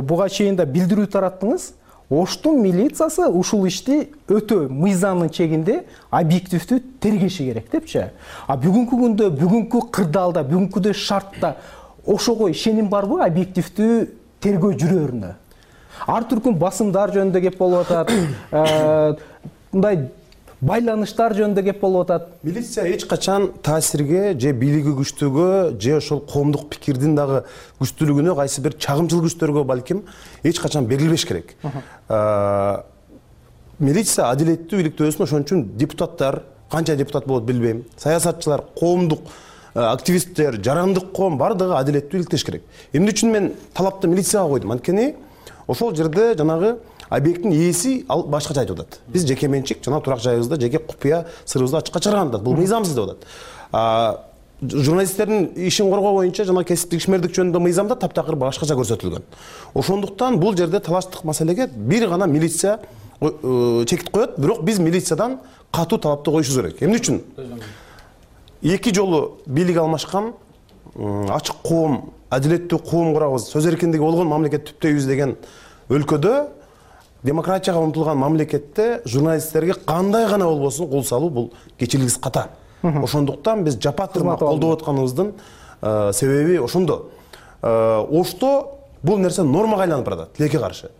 буга чейин да билдирүү тараттыңыз. Оштун милициясы ушул ишти өтө мыйзамдын чегинде объективдүү тергеши керек депчи. А бүгүнкү күндө, бүгүнкү кырдаалда, бүгүнкү шартта ошого ишеним барбы объективдүү тергөө жүрөрүнө? Ар түркүн басымдар жөнүндө кеп болуп атат, мындай байланыштар жөнүндө кеп болуп атат. Милиция эч качан таасирге же бийлиги күчтүүгө же ошол коомдук пикирдин дагы күчтүүлүгүнө кайсы бир чагымчыл күчтөргө балким эч качан берилбеш керек. Милиция адилеттүү бийликте өсүн, ошон үчүн депутаттар, канча депутат болот билбейм, саясатчылар, коомдук активисттер, жарандык коом бардыгы адилеттүү иликтеш керек. Эмне үчүн мен талапты милицияга койдум? Анткени ошол жерде жанагы объекттин ээси ал башкача айтып атат. Биз жеке менчик жана турак жайыбызды, жеке купуя сырыбызды ачыкка чыгарган атат. Бул мыйзамсыз деп атат. Журналисттердин ишин коргоо боюнча жана кесиптик ишмердик жөнүндө мыйзамда таптакыр башкача көрсөтүлгөн. Ошондуктан бул жерде талаштык маселеге бир гана милиция чекит коет, бирок биз милициядан катуу талапты коюшубуз керек. Эмне үчүн? Эки жолу бийлик алмашкан, ачык коом, адилеттүү коом курабыз, сөз эркиндиги болгон мамлекет түптөйбүз деген өлкөдө, демократияга умтулган мамлекетте журналисттерге кандай гана болбосун кол салуу бул кечирилгис ката. Ошондуктан биз жапа-тырмак колдоп атканыбыздын себеби ошондо. Ошто бул нерсе нормага айланып баратат, тилекке каршы.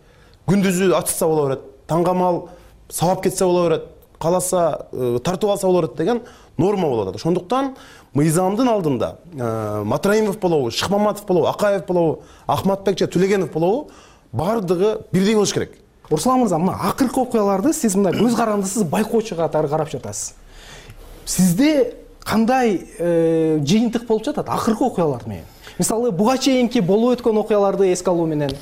Күндүзү ачса боло берет, таңгамал сабап кетсе боло берет, каласа тартып алса боло берет деген норма болуп атат. Ошондуктан мыйзамдын алдында Матраимов болобу, Шыкмаматов болобу, Акаев болобу, Ахматбек же Түлегенов болобу, бардыгы бирдей болуш керек. Руслан мырза, мына акыркы окуяларды сиз мындай көз карандысыз байкоочу катары карап жатасыз. Сизде кандай жыйынтык болуп жатат акыркы окуялар менен? Мисалы, буга чейинки болуп өткөн окуяларды эске алуу менен.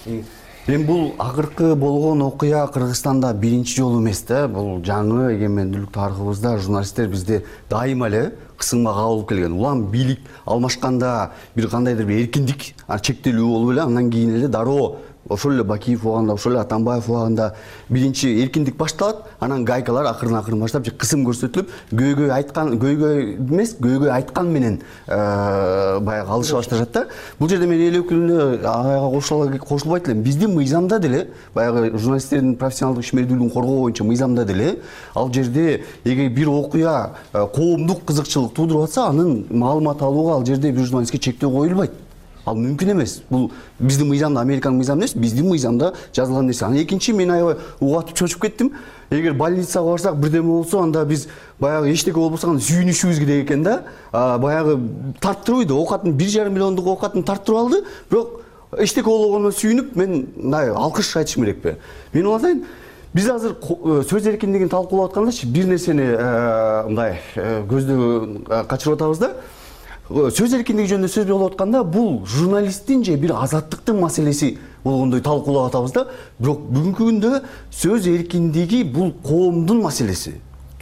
Эми бул акыркы болгон окуя Кыргызстанда биринчи жолу эмес да. Бул жаңы эгемендүүлүк тарыхыбызда журналисттер бизде дайыма эле кысымга кабылып келген. Улам бийлик алмашканда бир кандайдыр бир эркиндик чектелүү болуп эле, андан кийин эле дароо ошол эле Бакиев убагында, ошол эле Атамбаев убагында биринчи эркиндик башталат, анан гайкалар акырын-акырын баштап кысым көрсөтүлүп, көйгөй айткан, көйгөй эмес, көйгөй айткан менен баягы алыша башташат да. Бул жерде мен эл өкүлүнө ага кошулбайт элем. Биздин мыйзамда деле, баягы журналисттердин профессионалдык ишмердүүлүгүн коргоо боюнча мыйзамда деле, ал жерде эгер бир окуя коомдук кызыкчылык туудуруп атса, анын маалымат алууга ал жерде бир журналистке чектөө коюлбайт. Ал мүмкүн эмес. Бул биздин мыйзамда, Американын мыйзамы эмес, биздин мыйзамда жазылган нерсе. Анан экинчи, мен аябай угатып чочуп кеттим. Эгер больницага барсак, бирдеме болсо, анда биз баягы эчтеке болбосо анда сүйүнүшүбүз керек экен да. Баягы тарттырбайт, оокатын бир жарым миллиондук оокатын тарттырып алды, бирок эчтеке болгонуна сүйүнүп, мен мындай алкыш айтышым керекпи? Мен ойлойм, биз азыр сөз эркиндигин талкуулап аткандачы бир нерсени мындай көздө качырып атабыз да. Сөз эркиндиги жөнүндө сөз болуп атканда, бул журналисттин же бир азаттыктын маселеси болгондой талкуулап атабыз да. Бирок бүгүнкү күндө сөз эркиндиги бул коомдун маселеси.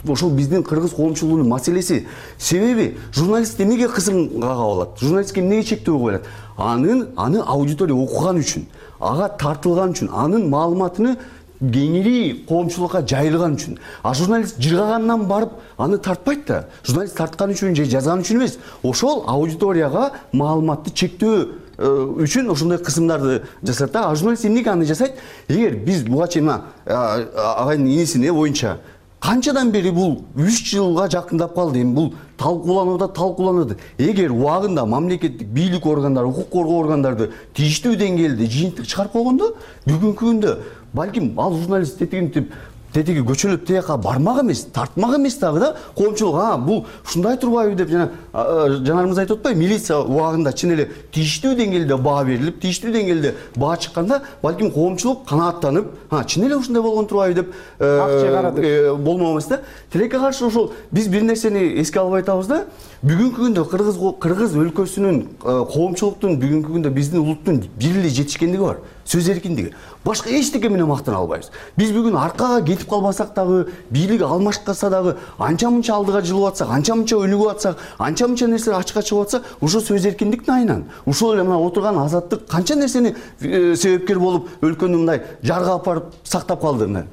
Ошол биздин кыргыз коомчулугунун маселеси. Себеби журналист эмнеге кысымга кабылат? Журналистке эмнеге чектөө коюлат? Анын аны аудитория окуган үчүн, ага тартылган үчүн, анын маалыматыны кеңири коомчулукка жайылган үчүн. А журналист жыргагандан барып аны тартпайт да. Журналист тарткан үчүн же жазган үчүн эмес. Ошол аудиторияга маалыматты чектөө үчүн ошондой кысымдарды жасат да. А журналист эмнеге аны жасайт? Эгер биз буга чейин агайдын инисине боюнча канчадан бери бул үч жылга жакындап калды. Эми бул талкууланууда талкууланды. Эгер убагында мамлекеттик бийлик органдары, укук коргоо органдары тийиштүү деңгээлде жыйынтык чыгарып койгондо, бүгүнкү күндө балким ал журналист тетигинтип тетиги көчөлөп тияка бармак эмес, тартмак эмес дагы да. Коомчулук а бул ушундай турбайбы деп жана жанарымыз айтып атпайбы, милиция убагында чын эле тийиштүү деңгээлде баа берилип, тийиштүү деңгээлде баа чыкканда, балким коомчулук канааттанып, а чын эле ушундай болгон турбайбы деп болмок эмес да. Тилекке каршы ошол биз бир нерсени эске албай атабыз да. Бүгүнкү күндө кыргыз кыргыз өлкөсүнүн коомчулуктун бүгүнкү күндө биздин улуттун бир эле жетишкендиги бар. Сөз эркиндиги. Башка эчтеке менен мактана албайбыз. Биз бүгүн аркага кетип калбасак дагы, бийлик алмашкаса дагы, анча-мынча алдыга жылып атсак, анча-мынча өнүгүп атсак, анча-мынча нерселер ачыкка чыгып атса, ошо сөз эркиндиктин айынан. Ушул эле мына отурган азаттык канча нерсени себепкер болуп өлкөнү мындай жарга алып барып сактап калды мына.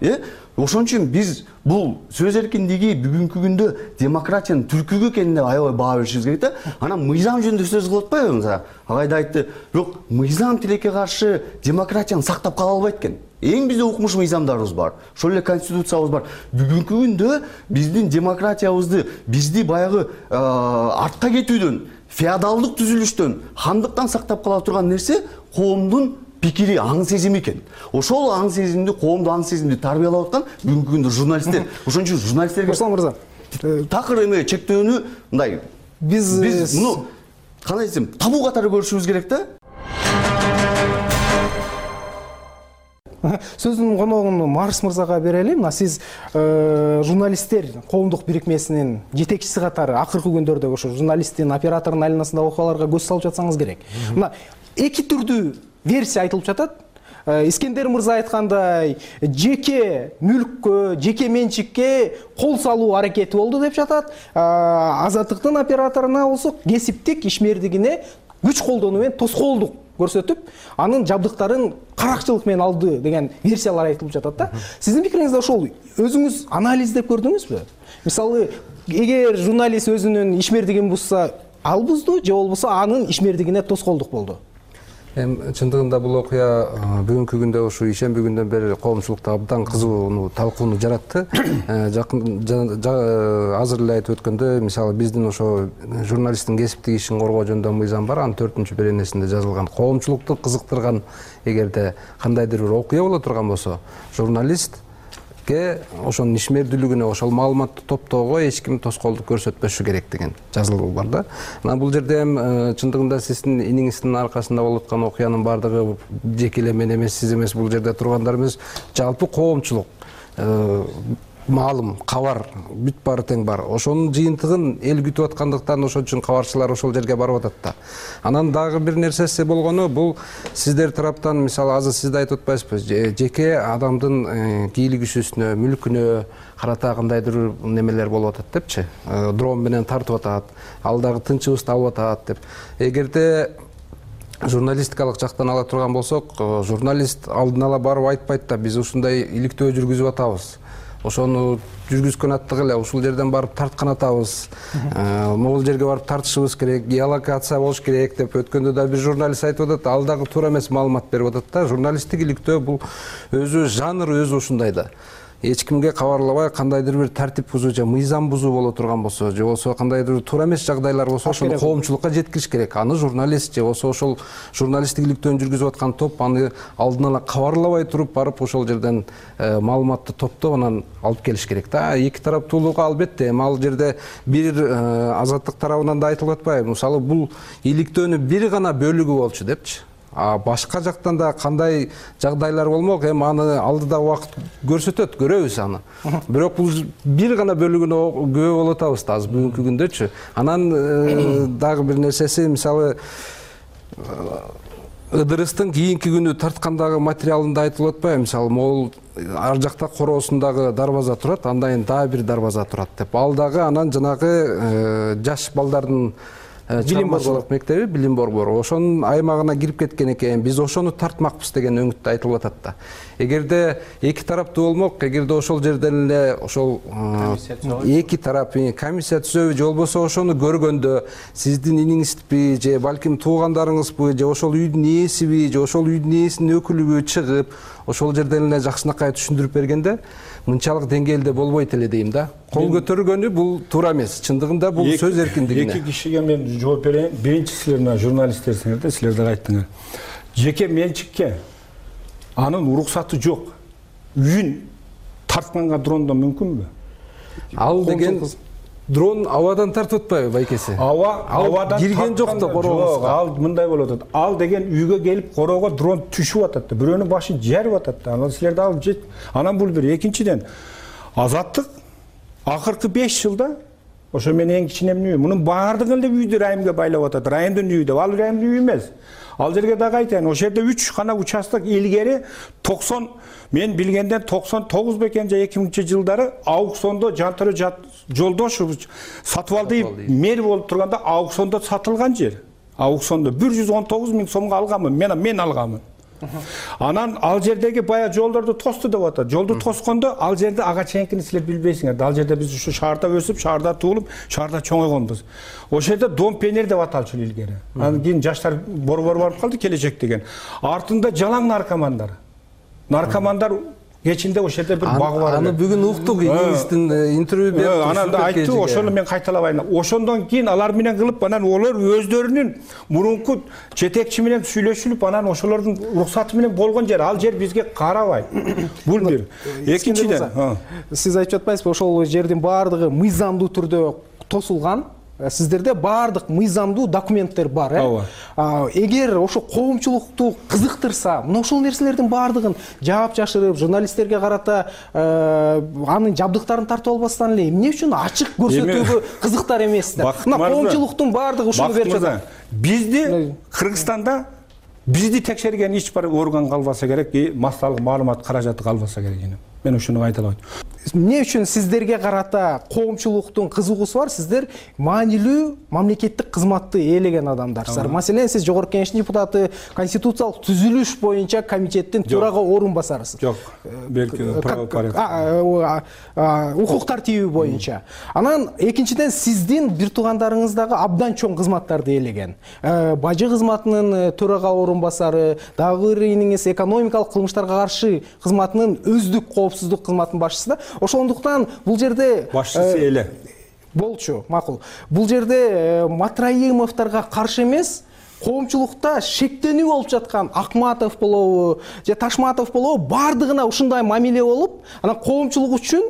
Э? Ошон үчүн биз бул сөз эркиндиги бүгүнкү күндө демократиянын түркүгү экенине аябай баа беришибиз керек да. Анан мыйзам жөнүндө сөз кылып атпайбы? Агайда айтты, бирок мыйзам тилекке каршы демократияны сактап кала албайт экен. Эң бизде укмуш мыйзамдарыбыз бар. Ошол эле конституциябыз бар. Бүгүнкү күндө биздин демократиябызды, бизди баягы артка кетүүдөн, феодалдык түзүлүштөн, хандыктан сактап кала турган нерсе коомдун пикири, аң сезими экен. Ошол аң сезимди, коомду аң сезимди тарбиялап аткан бүгүнкү күндө журналисттер. Ошон үчүн журналисттерге Руслан мырза, такыр эме чектөөнү мындай биз биз муну кандай десем, табуу катары көрүшүбүз керек да. Сөздүн коногун Марс мырзага берели. Мына сиз журналисттер коомдук бирикмесинин жетекчиси катары акыркы күндөрдө ошо журналисттин, оператордун айланасындагы окуяларга көз салып жатсаңыз керек. Мына эки түрдүү версия айтылып жатат. Искендер мырза айткандай жеке мүлккө, жеке менчикке кол салуу аракети болду деп жатат. Азаттыктын операторуна болсо кесиптик ишмердигине күч колдонуу менен тоскоолдук көрсөтүп, анын жабдыктарын каракчылык менен алды деген версиялар айтылып жатат да. Сиздин пикириңизде ошол өзүңүз анализдеп көрдүңүзбү? Мисалы, эгер журналист өзүнүн ишмердигин бузса, ал бузду, же болбосо анын ишмердигине тоскоолдук болду? Эми чындыгында бул окуя бүгүнкү күндө ушу ишемби күндөн бери коомчулукта абдан кызуу талкууну жаратты. Жакын азыр эле айтып өткөндө, мисалы биздин ошо журналисттин кесиптик ишин коргоо жөнүндө мыйзам бар, анын төртүнчү беренесинде жазылган. Коомчулукту кызыктырган эгерде кандайдыр бир окуя боло турган болсо, журналист ошонун ишмердүүлүгүнө, ошол маалыматты топтоого эч ким тоскоолдук көрсөтпөшү керек деген жазылуу бар да. Анан бул жерде эми чындыгында сиздин иниңиздин аркасында болуп аткан окуянын баардыгы жеке эле мен эмес, сиз эмес, бул жерде тургандар эмес, жалпы коомчулук маалым, кабар бүт баары тең бар. Ошонун жыйынтыгын эл күтүп аткандыктан ошон үчүн кабарчылар ошол жерге барып атат да. Анан дагы бир нерсеси болгону, бул сиздер тараптан, мисалы, азыр сиз да айтып атпайсызбы, жеке адамдын кийлик күчүсүнө, мүлкүнө карата кандайдыр немелер болуп атат депчи. Дрон менен тартып атат, ал дагы тынчыбызды алып атат деп. Эгерде журналистикалык жактан ала турган болсок, журналист алдын ала барып айтпайт да, биз ушундай иликтөө жүргүзүп атабыз. Ошону жүргүзгөн аттык эле ушул жерден барып тарткан атабыз. Могул жерге барып тартышыбыз керек, геолокация болуш керек деп өткөндө да бир журналист айтып атат, ал дагы туура эмес маалымат берип атат да. Журналисттик иликтөө бул өзү жанр өзү ушундай да. Эч кимге кабарлабай кандайдыр бир тартип бузуу же мыйзам бузуу боло турган болсо, же болсо кандайдыр туура эмес жагдайлар болсо, ошону коомчулукка жеткириш керек. Аны журналист же болсо ошол журналисттик иликтөөнү жүргүзүп аткан топ аны алдын ала кабарлабай туруп барып ошол жерден маалыматты топтоп анан алып келиш керек да. Эки тараптуулугу албетте, эми ал жерде бир азаттык тарабынан да айтылып атпайбы? Мисалы, бул иликтөөнүн бир гана бөлүгү болчу депчи. А башка жактан да кандай жагдайлар болмок, эми аны алдыда убакыт көрсөтөт, көрөбүз аны. Бирок бул бир гана бөлүгүнө күбө болуп атабыз да азыр бүгүнкү күндөчү. Анан дагы бир нерсеси, мисалы, Ыдырыстын кийинки күнү тарткандагы материалында айтылып атпайбы? Мисалы, могул ар жакта короосундагы дарбаза турат, андан дагы бир дарбаза турат деп. Ал дагы анан жанагы жаш балдардын чыгармачылык мектеби, билим борбору ошонун аймагына кирип кеткен экен. Биз ошону тартмакпыз деген өңүттө айтылып атат да. Эгерде эки тараптуу болмок, эгерде ошол жерден эле ошол эки тарап комиссия түзөбү, же болбосо ошону көргөндө сиздин иниңизби, же балким туугандарыңызбы, же ошол үйдүн ээсиби, же ошол үйдүн ээсинин өкүлүбү чыгып, ошол жерден эле жакшынакай түшүндүрүп бергенде мынчалык деңгээлде болбойт эле дейм да. Кол көтөргөнү бул туура эмес. Чындыгында бул сөз эркиндигине. Эки кишиге мен жооп берейин. Биринчи силер мына журналисттерсиңер да, силер дагы айттыңар. Жеке менчикке анын уруксаты жок. Үйүн тартканга дрондон мүмкүнбү? Ал деген дрон абадан тартып атпайбы байкеси? Аба абадан кирген жок да корообузга. Ал мындай болуп атат. Ал деген үйгө келип короого дрон түшүп атат да. Бирөөнүн башын жарып атат да. Анан силер дагы жет. Анан бул бир. Экинчиден, Азаттык акыркы беш жылда ошо мен эң кичинемин үйү. Мунун баардыгын эле үйдү райымга байлап атат. Райымдын үйү деп. Ал райымдын үйү эмес. Ал жерге дагы айтайын, ошол жерде үч гана участок илгери токсон, мен билгенден токсон тогуз бекен же эки миңинчи жылдары аукциондо Жантөрө Жолдошов Сатыбалдиев мэр болуп турганда аукциондо сатылган жер. Аукциондо бир жүз он тогуз миң сомго алганмын, мен мен алганмын. Анан ал жердеги бая жолдорду тосту деп атат. Жолду тоскондо ал жерде ага чейинкини силер билбейсиңер. Ал жерде биз ушу шаарда өсүп, шаарда туулуп, шаарда чоңойгонбуз. Ошол жерде Дом Пионер деп аталчу илгери. Анан кийин жаштар борбор барып калды, келечек деген. Артында жалаң наркомандар. Наркомандар кечинде ошол жерде бир баг бар. Аны бүгүн уктук, иңиздин интервью берип. Анан да айтты, ошону мен кайталабайын. Ошондон кийин алар менен кылып, анан олар өздөрүнүн мурунку жетекчи менен сүйлөшүлүп, анан ошолордун уруксаты менен болгон жер. Ал жер бизге карабайт. Бул бир. Экинчиден, сиз айтып атпайсызбы, ошол жердин баардыгы мыйзамдуу түрдө тосулган? Сиздерде баардык мыйзамдуу документтер бар, э? Эгер ошо коомчулукту кызыктырса, мына ошол нерселердин баардыгын жаап жашырып, журналисттерге карата анын жабдыктарын тартып албастан эле эмне үчүн ачык көрсөтүүгө кызыктар эмес да? Мына коомчулуктун баардыгы ушуну берип жатат. Бизди Кыргызстанда бизди текшерген эч бир орган калбаса керек, массалык маалымат каражаты калбаса керек эне. Мен ушуну айта алам. Эмне үчүн сиздерге карата коомчулуктун кызыгуусу бар? Сиздер маанилүү мамлекеттик кызматты ээлеген адамдарсыздар. Маселен, сиз Жогорку Кеңештин депутаты, конституциялык түзүлүш боюнча комитеттин төрага орун басарысыз. Жок, белки укук тартиби боюнча. Анан экинчиден сиздин бир туугандарыңыз дагы абдан чоң кызматтарды ээлеген. Бажы кызматынын төрага орун басары, дагы бир иниңиз экономикалык кылмыштарга каршы кызматынын өздүк коопсуздук кызматынын башчысы да. Ошондуктан бул жерде башчысы эле болчу, макул. Бул жерде Матраимовдорго каршы эмес, коомчулукта шектенүү болуп жаткан Акматов болобу, же Ташматов болобу, бардыгына ушундай мамиле болуп, анан коомчулук үчүн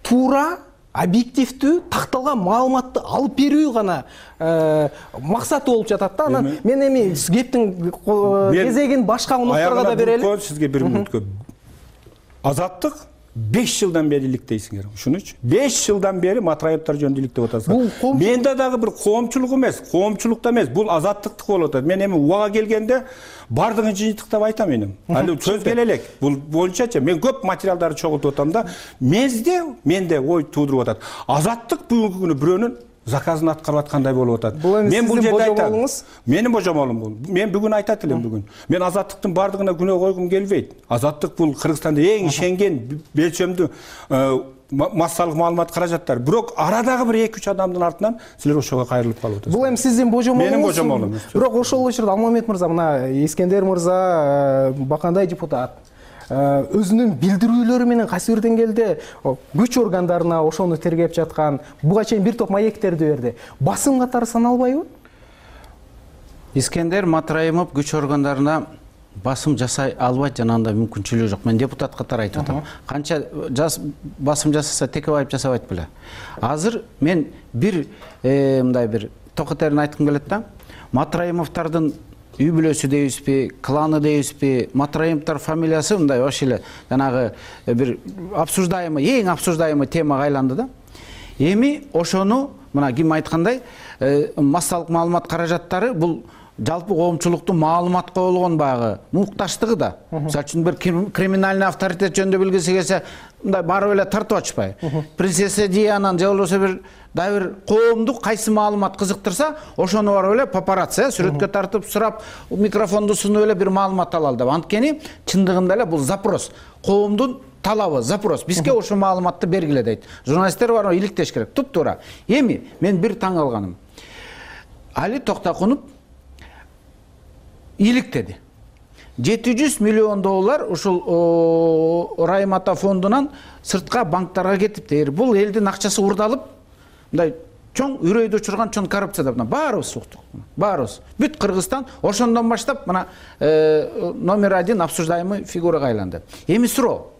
туура, объективдүү, такталган маалыматты алып берүү гана максаты болуп жатат да. Анан мен эми кептин кезегин башка унулдарга да берели. Сизге бир мүнөткө. Азаттык беш жылдан бери иликтейсиңер. Ушун үчүн беш жылдан бери Матраевдор жөнүндө иликтеп атасыңар. Менде дагы бир коомчулук эмес, коомчулукта эмес, бул азаттыктык болуп атат. Мен эми убага келгенде бардыгын жыйынтыктап айтам эми. Али сөз келе элек. Бул боюнчачы мен көп материалдарды чогултуп атам да, менде менде ой туудуруп атат. Азаттык бүгүнкү күнү бирөөнүн заказын аткарып аткандай болуп атат. Мен бул жерде айтам. Менин божомолум бул. Мен бүгүн айтат элем бүгүн. Мен азаттыктын бардыгына күнөө койгум келбейт. Азаттык бул Кыргызстанда эң ишенген белчөмдүү массалык маалымат каражаттары. Бирок арадагы бир эки үч адамдын артынан силер ошого кайрылып калып атасыздар. Бул эми сиздин божомолуңуз. Менин божомолум. Бирок ошол учурда Алмамет мырза, мына Искендер мырза, Бакандай депутат өзүнүн билдирүүлөрү менен кайсы бир деңгээлде күч органдарына ошону тергеп жаткан, буга чейин бир топ маектерди берди. Басым катары саналбайбы? Искендер Матраимов күч органдарына басым жасай албайт, жана андай мүмкүнчүлүгү жок. Мен депутат катары айтып атам. Канча басым жасаса Текебаев жасабайт беле. Азыр мен бир мындай бир токотерин айткым келет да. Матраимовдордун үй бүлөсү дейбизби, кланы дейбизби, Матраимовдор фамилиясы мындай ош эле жанагы бир обсуждаемый, эң обсуждаемый темага айланды да. Эми ошону мына ким айткандай, массалык маалымат каражаттары бул жалпы коомчулуктун маалыматка болгон багы мукташтыгы да. Мисалы үчүн бир криминальный авторитет жөнүндө билгиси келсе, мындай барып эле тартып ачпай. Принцесса Диананы же болбосо бир дагы бир коомдук кайсы маалымат кызыктырса, ошону барып эле папарацци сүрөткө тартып сурап, микрофонду сунуп эле бир маалымат алалы деп. Анткени чындыгында эле бул запрос, коомдун талабы, запрос. Бизге ошо маалыматты бергиле дейт. Журналисттер бар, иликтеш керек. Туп-туура. Эми мен бир таң калганым. Али Токтокунов иликтеди. жети жүз миллион доллар ушул Раймата фондунан сыртка банктарга кетипти. Бул элдин акчасы урдалып, мындай чоң үрөйдү учурган чоң коррупция деп баарыбыз уктук. Баарыбыз. Бүт Кыргызстан ошондон баштап мына номер один обсуждаемый фигурага айланды. Эми суроо.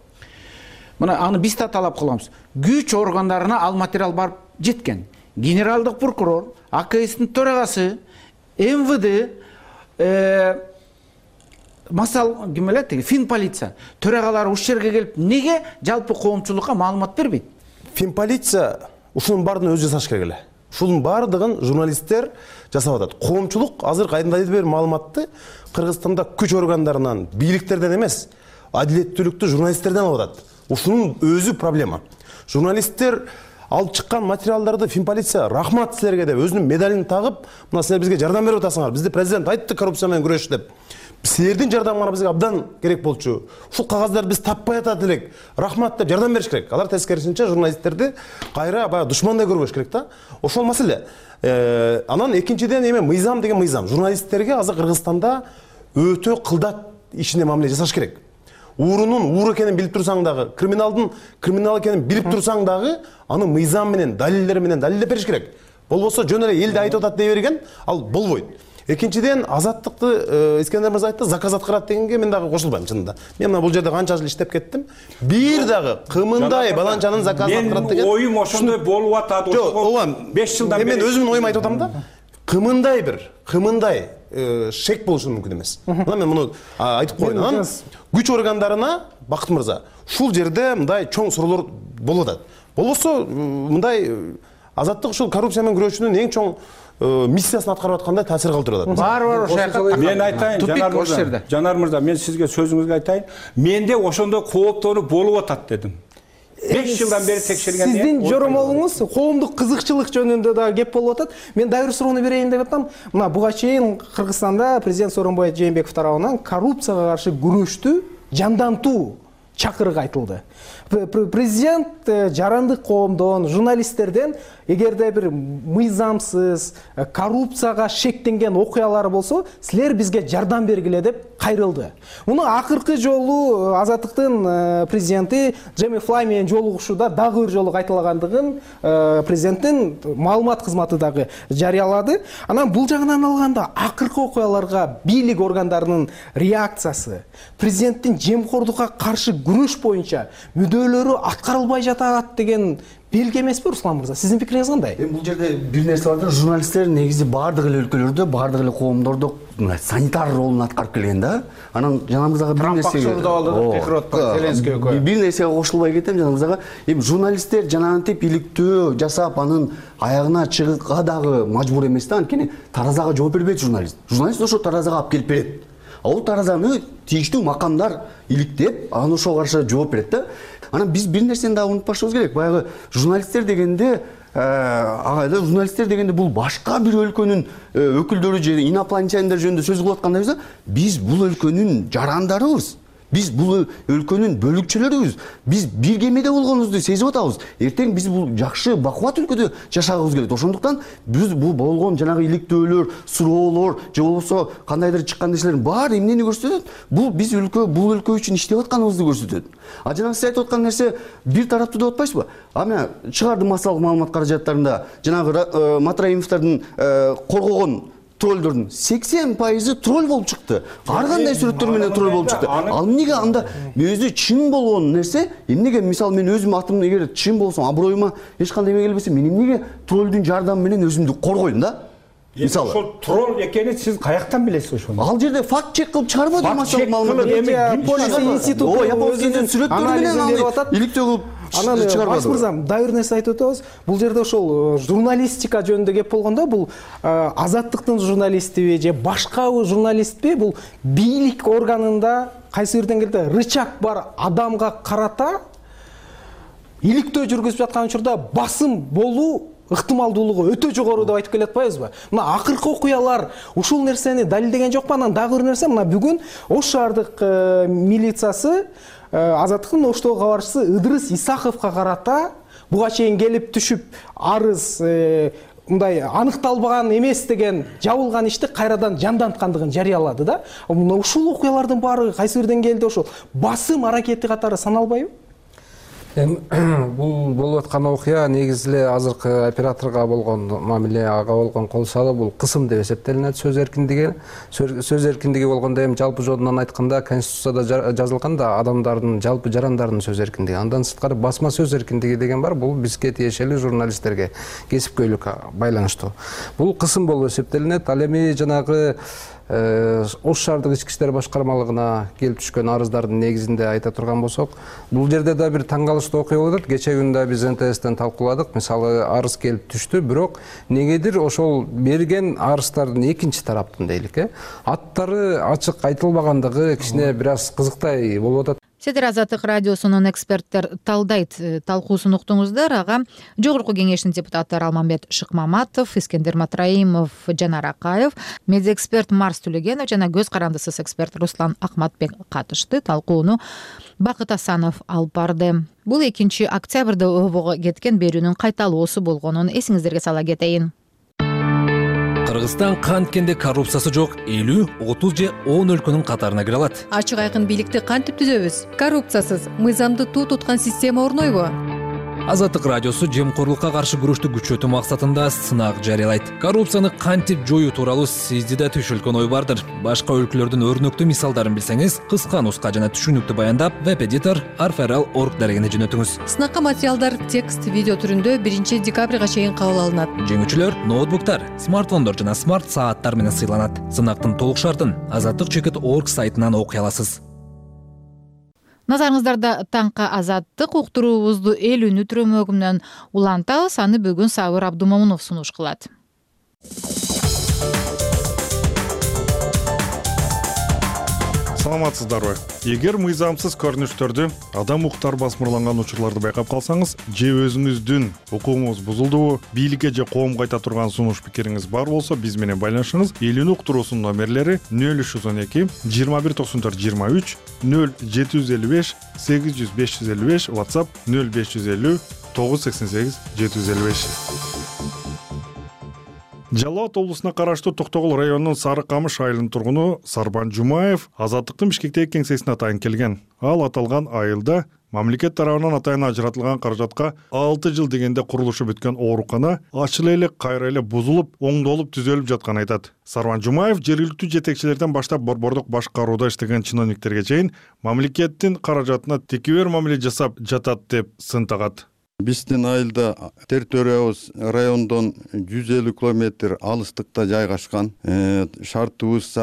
Мына аны биз да талап кылабыз. Күч органдарына ал материал барып жеткен. Генералдык прокурор, А К Сдин төрагасы, М В Д, масал ким эле тиги Финполиция төрагалары ушул жерге келип неге жалпы коомчулукка маалымат бербейт? Финполиция ушунун баардыгын өзү жасаш керек эле. Ушунун баардыгын журналисттер жасап атат. Коомчулук азыр кайдандайдыр бир маалыматты Кыргызстанда күч органдарынан, бийликтерден эмес, адилеттүүлүктү журналисттерден алып атат. Ушунун өзү проблема. Журналисттер алып чыккан материалдарды Финполиция рахмат силерге деп өзүнүн медалин тагып, мына силер бизге жардам берип атасыңар. Бизди президент айтты коррупция менен күрөш деп. Силердин жардамыңар бизге абдан керек болчу. Ушул кагаздарды биз таппай атат элек. Рахмат деп жардам бериш керек. Алар тескерисинче журналисттерди кайра баягы душмандай көрбөш керек да. Ошол маселе. Анан экинчиден эме мыйзам деген мыйзам. Журналисттерге азыр Кыргызстанда өтө кылдат ишине мамиле жасаш керек. Уурунун уур экенин билип турсаң дагы, криминалдын криминал экенин билип турсаң дагы, аны мыйзам менен, далилдер менен далилдеп бериш керек. Болбосо жөн эле элди айтып атат дей берген, ал болбойт. Экинчиден азаттыкты Искендер мырза айтты, заказ аткарат дегенге мен дагы кошулбайм чынында. Мен мына бул жерде канча жыл иштеп кеттим. Бир дагы кымындай баланчанын заказын аткарат деген. Мен оюм ошондой болуп атат. беш жылдан бери. Мен өзүмдүн оюмду айтып атам да. Кымындай бир, кымындай шек болушу мүмкүн эмес. Мына мен муну айтып коеюн. Анан күч органдарына Бакыт мырза, ушул жерде мындай чоң суроолор болуп атат. Болбосо мындай азаттык ушул коррупция менен күрөшүүнүн эң чоң миссиясын аткарып аткандай таасир калтырып атат. Бар бар ошол жака. Мен айтайын, Жанар мырза, Жанар мырза, мен сизге сөзүңүзгө айтайын. Менде ошондой кооптонуу болуп атат дедим. беш жылдан бери текшергенден сиздин жоромолуңуз коомдук кызыкчылык жөнүндө да кеп болуп атат. Мен дагы бир суроону берейин деп атам. Мына буга чейин Кыргызстанда президент Сооронбай Жээнбеков тарабынан коррупцияга каршы күрөштү жандантуу чакырык айтылды. Президент жарандык коомдон, журналисттерден эгерде бир мыйзамсыз, коррупцияга шектенген окуялар болсо, силер бизге жардам бергиле деп кайрылды. Муну акыркы жолу Азаттыктын президенти Джейми Флай менен жолугушууда дагы бир жолу кайталагандыгын президенттин маалымат кызматы дагы жарыялады. Анан бул жагынан алганда акыркы окуяларга бийлик органдарынын реакциясы, президенттин жемкордукка каршы күрөш боюнча мүдөлөрү аткарылбай жатат деген белги эмеспи, Руслан мырза? Сиздин пикириңиз кандай? Эми бул жерде бир нерсе бар да, журналисттер негизи баардык эле өлкөлөрдө, баардык эле коомдордо санитар ролун аткарып келген да. Анан жана мырзага бир нерсе бир нерсеге кошулбай кетем жана мырзага. Эми журналисттер жанагынтип иликтөө жасап анын аягына чыгууга дагы мажбур эмес да, анткени таразага жооп бербейт журналист. Журналист ошо таразага алып келип берет. Ал таразаны тийиштүү макамдар иликтеп, анан ошого каршы жооп берет да. Анан биз бир нерсени дагы унутпашыбыз керек. Баягы журналисттер дегенде, агайда журналисттер дегенде бул башка бир өлкөнүн өкүлдөрү же инопланетяниндер жөнүндө сөз кылып аткандайбыз да. Биз бул өлкөнүн жарандарыбыз. Биз бул өлкөнүн бөлүкчөлөрүбүз. Биз бир кемеде болгонубузду сезип атабыз. Эртең биз бул жакшы бакубат өлкөдө жашагыбыз келет. Ошондуктан биз бул болгон жанагы иликтөөлөр, суроолор, же болбосо кандайдыр чыккан нерселердин баары эмнени көрсөтөт? Бул биз өлкө, бул өлкө үчүн иштеп атканыбызды көрсөтөт. А жанагы сиз айтып аткан нерсе бир тараптуу деп атпайсызбы? А мен чыгарды массалык маалымат каражаттарында жанагы Матраимовдордун коргогон троллдордун сексен пайызы тролл болуп чыкты. Ар кандай сүрөттөр менен тролл болуп чыкты. Ал эмнеге анда өзү чын болгон нерсе, эмнеге мисалы мен өзүм атым эгер чын болсом, аброюма эч кандай эме келбесе, мен эмнеге троллдун жардамы менен өзүмдү коргойм да? Мисалы. Ошол тролл экенин сиз каяктан билесиз ошону? Ал жерде факт чек кылып чыгарбады массалык маалымат. Япония институту өзүнүн сүрөттөрү менен аны иликтөө кылып Анан Баш мырза, дагы бир нерсе айтып өтөбүз. Бул жерде ошол журналистика жөнүндө кеп болгондо, бул Азаттыктын журналистиби же башка журналистпи, бул бийлик органында кайсы бир деңгээлде рычаг бар адамга карата иликтөө жүргүзүп жаткан учурда басым болуу ыктымалдуулугу өтө жогору деп айтып келе атпайбызбы? Мына акыркы окуялар ушул нерсени далилдеген жокпу? Анан дагы бир нерсе, мына бүгүн Ош шаардык милициясы Азаттыктын Оштогу кабарчысы Ыдырыс Исаховго карата буга чейин келип түшүп арыз мындай аныкталбаган эмес деген жабылган ишти кайрадан жанданткандыгын жарыялады да. Мына ушул окуялардын баары кайсы бир деңгээлде ошол басым аракети катары саналбайбы? Эми бул болуп аткан окуя негизи эле азыркы операторго болгон мамиле, ага болгон кол салуу бул кысым деп эсептелинет. Сөз эркиндиги, сөз эркиндиги болгондо эми жалпы жолунан айтканда Конституцияда жазылган да адамдардын, жалпы жарандардын сөз эркиндиги. Андан сырткары басма сөз эркиндиги деген бар. Бул бизге тиешелүү журналисттерге кесипкөйлүккө байланыштуу. Бул кысым болуп эсептелинет. Ал эми жанагы Ош шаардык ички иштер башкармалыгына келип түшкөн арыздардын негизинде айта турган болсок, бул жерде да бир таң калыштуу окуя болуп атат. Кече күндө биз эн тэ эстен талкууладык. Мисалы, арыз келип түштү, бирок негедир ошол берген арыздардын экинчи тараптын дейлик, э, аттары ачык айтылбагандыгы кичине бир аз кызыктай болуп атат. Сиздер Азаттык радиосунун эксперттер талдайт талкуусун уктуңуздар. Ага Жогорку кеңештин депутаттары Алмамбет Шыкмаматов, Искендер Матраимов, Жанар Акаев, медиаэксперт Марс Түлөгенов жана көз карандысыз эксперт Руслан Акматбек катышты. Талкууну Бакыт Асанов алып барды. Бул экинчи октябрда обого кеткен берүүнүн кайталоосу болгонун эсиңиздерге сала кетейин. Кыргызстан канткенде коррупциясы жок элүү, отуз же он өлкөнүн катарына кире алат. Ачык айкын бийликти кантип түзөбүз? Коррупциясыз мыйзамды туу туткан система орнойбу? Азаттык радиосу жемкорлукка каршы күрөштү күчөтүү максатында сынак жарыялайт. Коррупцияны кантип жоюу тууралуу сизди да түшүлгөн ой бардыр. Башка өлкөлөрдүн өрнөктүү мисалдарын билсеңиз, кыска нуска жана түшүнүктүү баяндап веб-эдитор арферал точка орг дарегине жөнөтүңүз. Сынакка материалдар текст, видео түрүндө биринчи декабрга чейин кабыл алынат. Жеңүүчүлөр ноутбуктар, смартфондор жана смарт сааттар менен сыйланат. Сынактын толук шартын азаттык точка орг сайтынан окуй аласыз. Назарыңыздарда таңкы Азаттык уктуруубузду эл үнү түрөмөгүнөн улантабыз. Аны бүгүн Сабыр Абдумомунов сунуш кылат. саламатсыздарбы? Эгер мыйзамсыз көрүнүштөрдү, адам укуктары басмырланган учурларды байкап калсаңыз, же өзүңүздүн укугуңуз бузулдубу, бийликке же коомго айта турган сунуш пикириңиз бар болсо, биз менен байланышыңыз. Элүүнү уктуруусунун номерлери нөл үч жүз он эки жыйырма бир токсон төрт жыйырма үч, нөл жети жүз элүү беш сегиз жүз беш жүз элүү беш, WhatsApp нөл беш жүз элүү тогуз жүз сексен сегиз жети жүз элүү беш. Жалал Абад облусуна караштуу Токтогул районунун Сары Камыш айылынын тургуну Сарбан Жумаев азаттыктын Бишкектеги кеңсесине атайын келген. Ал аталган айылда мамлекет тарабынан атайын ажыратылган каражатка алты жыл дегенде курулушу бүткөн оорукана ачыла эле кайра эле бузулуп, оңдолуп, түзөлүп жатканын айтат. Сарбан Жумаев жергиликтүү жетекчилерден баштап борбордук башкарууда иштеген чиновниктерге чейин мамлекеттин каражатына текебер мамиле жасап жатат деп сын тагат. Биздин айылда территориябыз райондон жүз элүү километр алыстыкта жайгашкан. Шартыбыз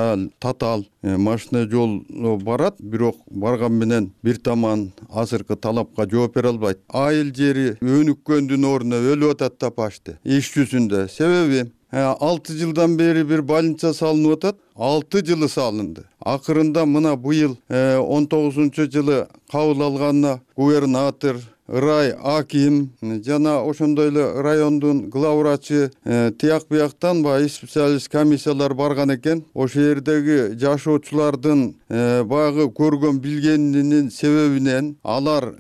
татаал, машина жол барат, бирок барган менен бир таман азыркы талапка жооп бере албайт. Айыл жери өнүккөндүн ордуна өлүп атат да пашты. Иш жүзүндө. Себеби алты жылдан бери бир больница салынып атат. алты жылы салынды. Акырында мына быйыл он тогузунчу жылы кабыл алганына губернатор, рай аким жана ошондой эле райондун главврачы тияк бияктан баягы специалист комиссиялар барган экен. Ошол жердеги жашоочулардын баягы көргөн билгенинин себебинен алар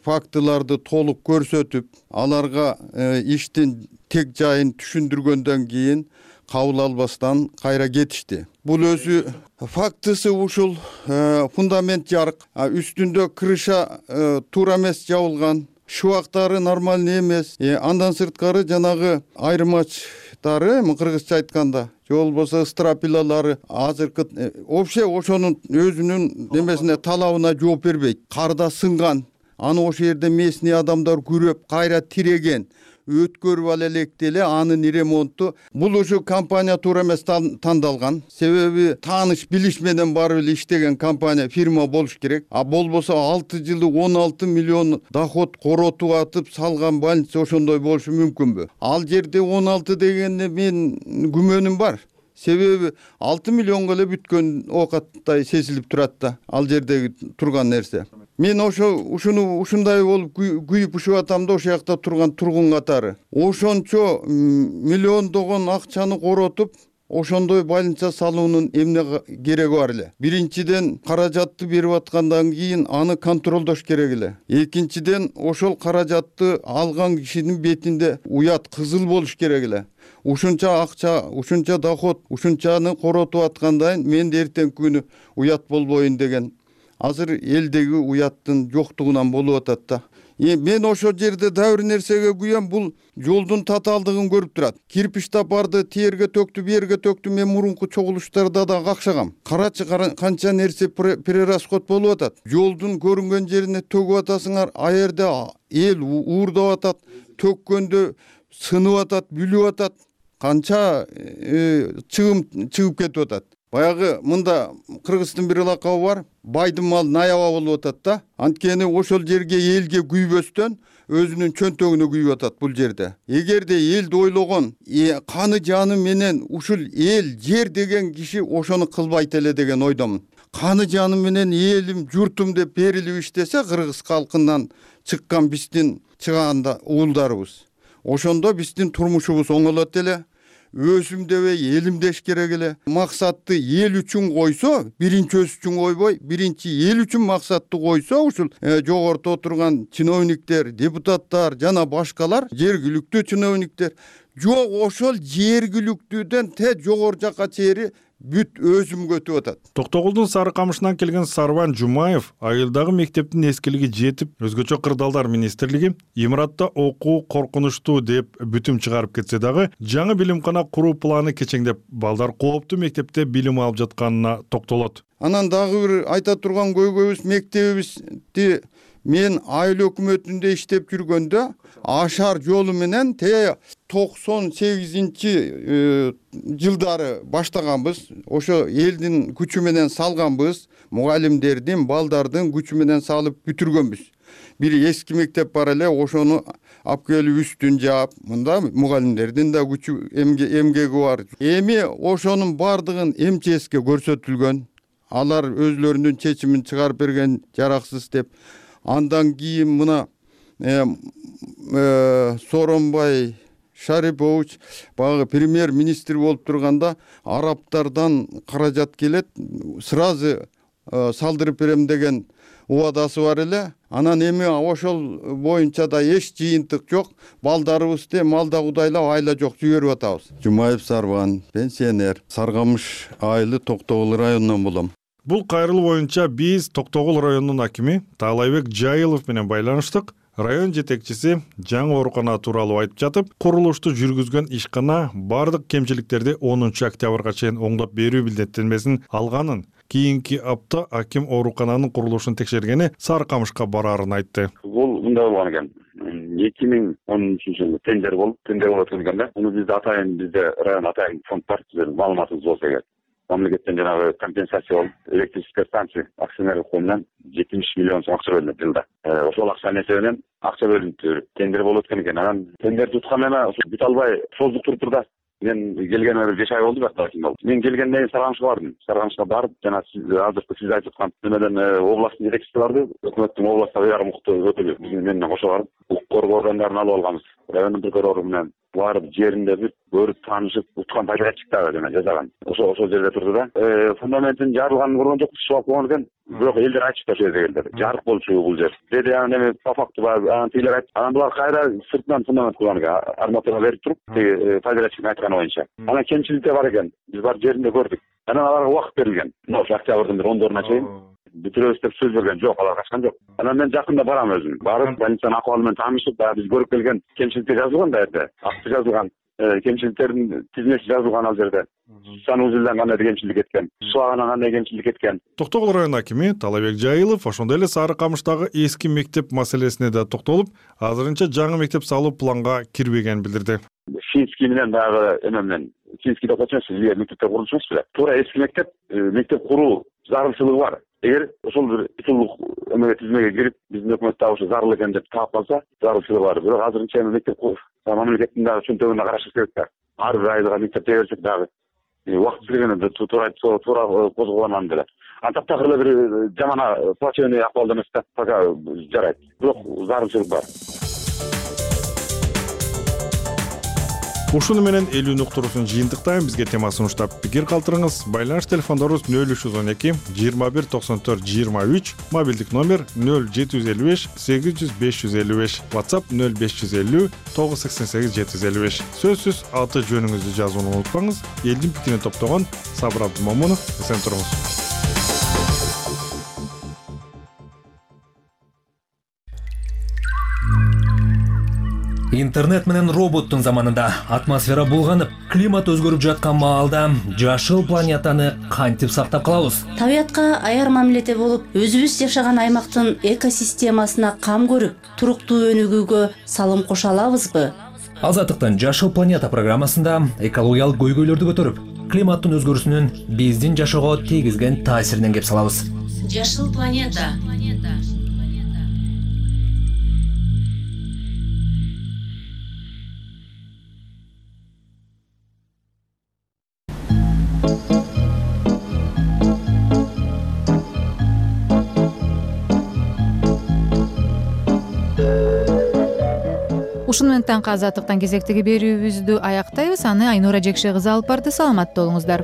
фактыларды толук көрсөтүп, аларга иштин тек жайын түшүндүргөндөн кийин кабыл албастан кайра кетишти. Бул өзү фактысы ушул фундамент жарык, үстүндө крыша туура эмес жабылган, шубактары нормальный эмес. Андан сырткары жанагы айырмачтары, кыргызча айтканда, же болбосо стропилалары азыркы вообще ошонун өзүнүн немесине талабына жооп бербейт. Карда сынган, аны ошол жерде местный адамдар күрөп, кайра тиреген. Өткөрүп ала электи эле анын ремонту. Бул ушу компания туура эмес тандалган. Себеби тааныш билиш менен барып эле иштеген компания, фирма болуш керек. А болбосо алты жылы он алты миллион доход коротуп атып салган больница ошондой болушу мүмкүнбү? Ал жерде он алты дегенде мен күмөнүм бар. Себеби алты миллионго эле бүткөн оокаттай сезилип турат да, ал жердеги турган нерсе. Мен ошо ушуну ушундай болуп күйүп ушуп атам да ошол жакта турган тургун катары. Ошончо миллиондогон акчаны коротуп, ошондой больница салуунун эмне кереги бар эле? Биринчиден каражатты берип аткандан кийин аны контролдош керек эле. Экинчиден ошол каражатты алган кишинин бетинде уят кызыл болуш керек эле. Ушунча акча, ушунча доход, ушунчаны коротуп аткандан мен эртең күнү уят болбойн деген. Азыр элдеги уяттын жоктугунан болуп атат да. Мен ошол жерде дагы бир нерсеге күйөм, бул жолдун татаалдыгын көрүп турат. Кирпич тапарды тиерге төктү, берге төктү, мен мурунку чогулуштарда да какшагам. Карачы канча нерсе перерасход болуп атат. Жолдун көрүнгөн жерине төгүп атасыңар, а жерде эл уурдап атат, төккөндө сынып атат, бүлүп атат. Канча чыгым чыгып кетип атат. Баягы мында Кыргыздын бир лакабы бар, байдын малы наяба болуп атат да. Анткени ошол жерге элге күйбөстөн өзүнүн чөнтөгүнө күйүп атат бул жерде. Эгерде элди ойлогон, каны жаны менен ушул эл, жер деген киши ошону кылбайт эле деген ойдомун. Каны жаны менен элим, журтум деп берилип иштесе, кыргыз калкынан чыккан биздин чыганда уулдарыбыз. Ошондо биздин турмушубуз оңолот эле. Өзүм дебей, элим деш керек эле. Максатты эл үчүн койсо, биринчи өз үчүн койбой, биринчи эл үчүн максатты койсо, ушул жогоруда отурган чиновниктер, депутаттар жана башкалар, жергиликтүү чиновниктер, жок ошол жергиликтүүдөн те жогору жакка чейин бүт өзүмгө өтүп атат. Токтогулдун Сары Камышынан келген Сарбан Жумаев айылдагы мектептин эскилиги жетип, өзгөчө кырдаалдар министрлиги имаратта окуу коркунучтуу деп бүтүм чыгарып кетсе дагы, жаңы билимкана куруу планы кечеңдеп, балдар кооптуу мектепте билим алып жатканына токтолот. Анан дагы бир айта турган көйгөйүбүз, мектебибизди мен айыл өкмөтүндө иштеп жүргөндө ашар жолу менен те токсон сегизинчи жылдары баштаганбыз. Ошо элдин күчү менен салганбыз, мугалимдердин, балдардын күчү менен салып бүтүргөнбүз. бир эски мектеп бар эле, ошону алып келип үстүн жаап, мында мугалимдердин да күчү эмгеги бар. Эми ошонун бардыгын эм че эске көрсөтүлгөн. Алар өзлөрүнүн чечимин чыгарып берген, жараксыз деп. Андан кийин мына Сооронбай Шарипович багы премьер-министр болуп турганда арабтардан каражат келет, сразу салдырып берем деген убадасы бар эле. Анан эми ошол боюнча да эч жыйынтык жок. Балдарыбызды малда кудайлап айла жок жиберип атабыз. Жумаев Сарбан, пенсионер, Саргамыш айылы Токтогул районунан болом. Бул кайрылуу боюнча биз Токтогул районунун акими Таалайбек Жайылов менен байланыштык. Район жетекчиси жаңы оорукана тууралуу айтып жатып, курулушту жүргүзгөн ишкана бардык кемчиликтерди онунчу октябрга чейин оңдоп берүү милдеттенмесин алганын, кийинки апта аким оорукананын курулушун текшергени Сарыкамышка бараарын айтты. Бул мындай болгон экен. эки миң он үчүнчү жылы тендер болуп, тендер болуп өткөн да. Муну бизде атайын, бизде район атайын фонд бар, сиздердин маалыматыңыз болсо керек. Мамлекеттен жанагы компенсация болуп, электрическая станция акционерлик коомунан жетимиш миллион сом акча бөлүнөт жылда. Ошол акчанын эсебинен акча бөлүнүп тендер болуп өткөн экен. Анан тендер туткан эме бүт албай создук туруп да. Мен келгениме бир беш ай болду бактар болду. Мен келгенден кийин Саргамышка бардым. Саргамышка барып, жана сиз азыркы сиз айтып аткан немеден областтын жетекчиси барды. Өкмөттүн областта уягы мукты өкүлү биз менен кошо барып, укук коргоо органдарын алып алганбыз. Райондун прокурору менен барып жеринде бир көрүп таанышып, уткан пайдачык дагы жана жасаган. Ошо ошол жерде турду да. Фундаментин жарылганын көргөн жокпуз, суу алып койгон экен. Бирок элдер айтышты ошол жерде келди. Жарык болчу бул жер. Деди анан эми по факту анан тилер айтты. Анан булар кайра сыртынан фундамент кылган экен. Арматура берип туруп, пайдачыктын айтканы боюнча. Анан кемчиликтер бар экен. Биз барып жеринде көрдүк. Анан аларга убакыт берилген. Ошо октябрдын бир ондоруна чейин бүтүрөбүз деп сөз берген жок, алар качкан жок. Анан мен жакында барам өзүм. Барып, больницанын акыбалы менен таанышып, дагы биз көрүп келген кемчиликтер жазылган да жерде. Акты жазылган, кемчиликтердин тизмеси жазылган ал жерде. Санузелден кандай кемчилик кеткен, сууагынан кандай кемчилик кеткен. Токтогул район акими Таалайбек Жайылов ошондой эле Сарыкамыштагы эски мектеп маселесине да токтолуп, азырынча жаңы мектеп салуу планга кирбегенин билдирди. Финский менен дагы эме менен Финский деп атчу, сиз мектептер курулчусуңуз беле? Туура эски мектеп, мектеп куруу зарылчылыгы бар. Эгер ошол бир титулдук эмеге тизмеге кирип, биздин өкмөт дагы ошо зарыл экен деп таап калса, зарылчылыгы бар. Бирок азырынча эми мектеп мамлекеттин дагы чөнтөгүнө карашыбыз керек да. Ар бир айылга мектеп берсек дагы убакыт келгенде туура туура козголгон деле. Антактагы эле бир жаман плачевный акыбалда эмес да, пока жарайт. Бирок зарылчылык бар. Ушуну менен элүүнү уктуруусун жыйынтыктайм. Бизге тема сунуштап пикир калтырыңыз. Байланыш телефондорубуз нөл үч жүз он эки жыйырма бир токсон төрт жыйырма үч, мобилдик номер нөл жети жүз элүү беш сегиз жүз беш жүз элүү беш, WhatsApp нөл беш жүз элүү тогуз сексен сегиз жети жүз элүү беш. Сөзсүз аты жөнүңүздү жазууну унутпаңыз. Элдин пикирин топтогон Сабыр Абдымомунов, эсен туруңуз. Интернет менен роботтун заманында атмосфера булганып, климат өзгөрүп жаткан маалда жашыл планетаны кантип сактап калабыз? Табиятка аяр мамиледе болуп, өзүбүз жашаган аймактын экосистемасына кам көрүп, туруктуу өнүгүүгө салым кошо алабызбы? Азаттыктын Жашыл планета программасында экологиялык көйгөйлөрдү көтөрүп, климаттын өзгөрүүсүнүн биздин жашоого тийгизген таасиринен кеп салабыз. Жашыл планета. Ушуну менен таңкы азаттыктан кезектеги берүүбүздү аяктайбыз. Аны Айнура Жекше кызы алып барды. Саламатта болуңуздар.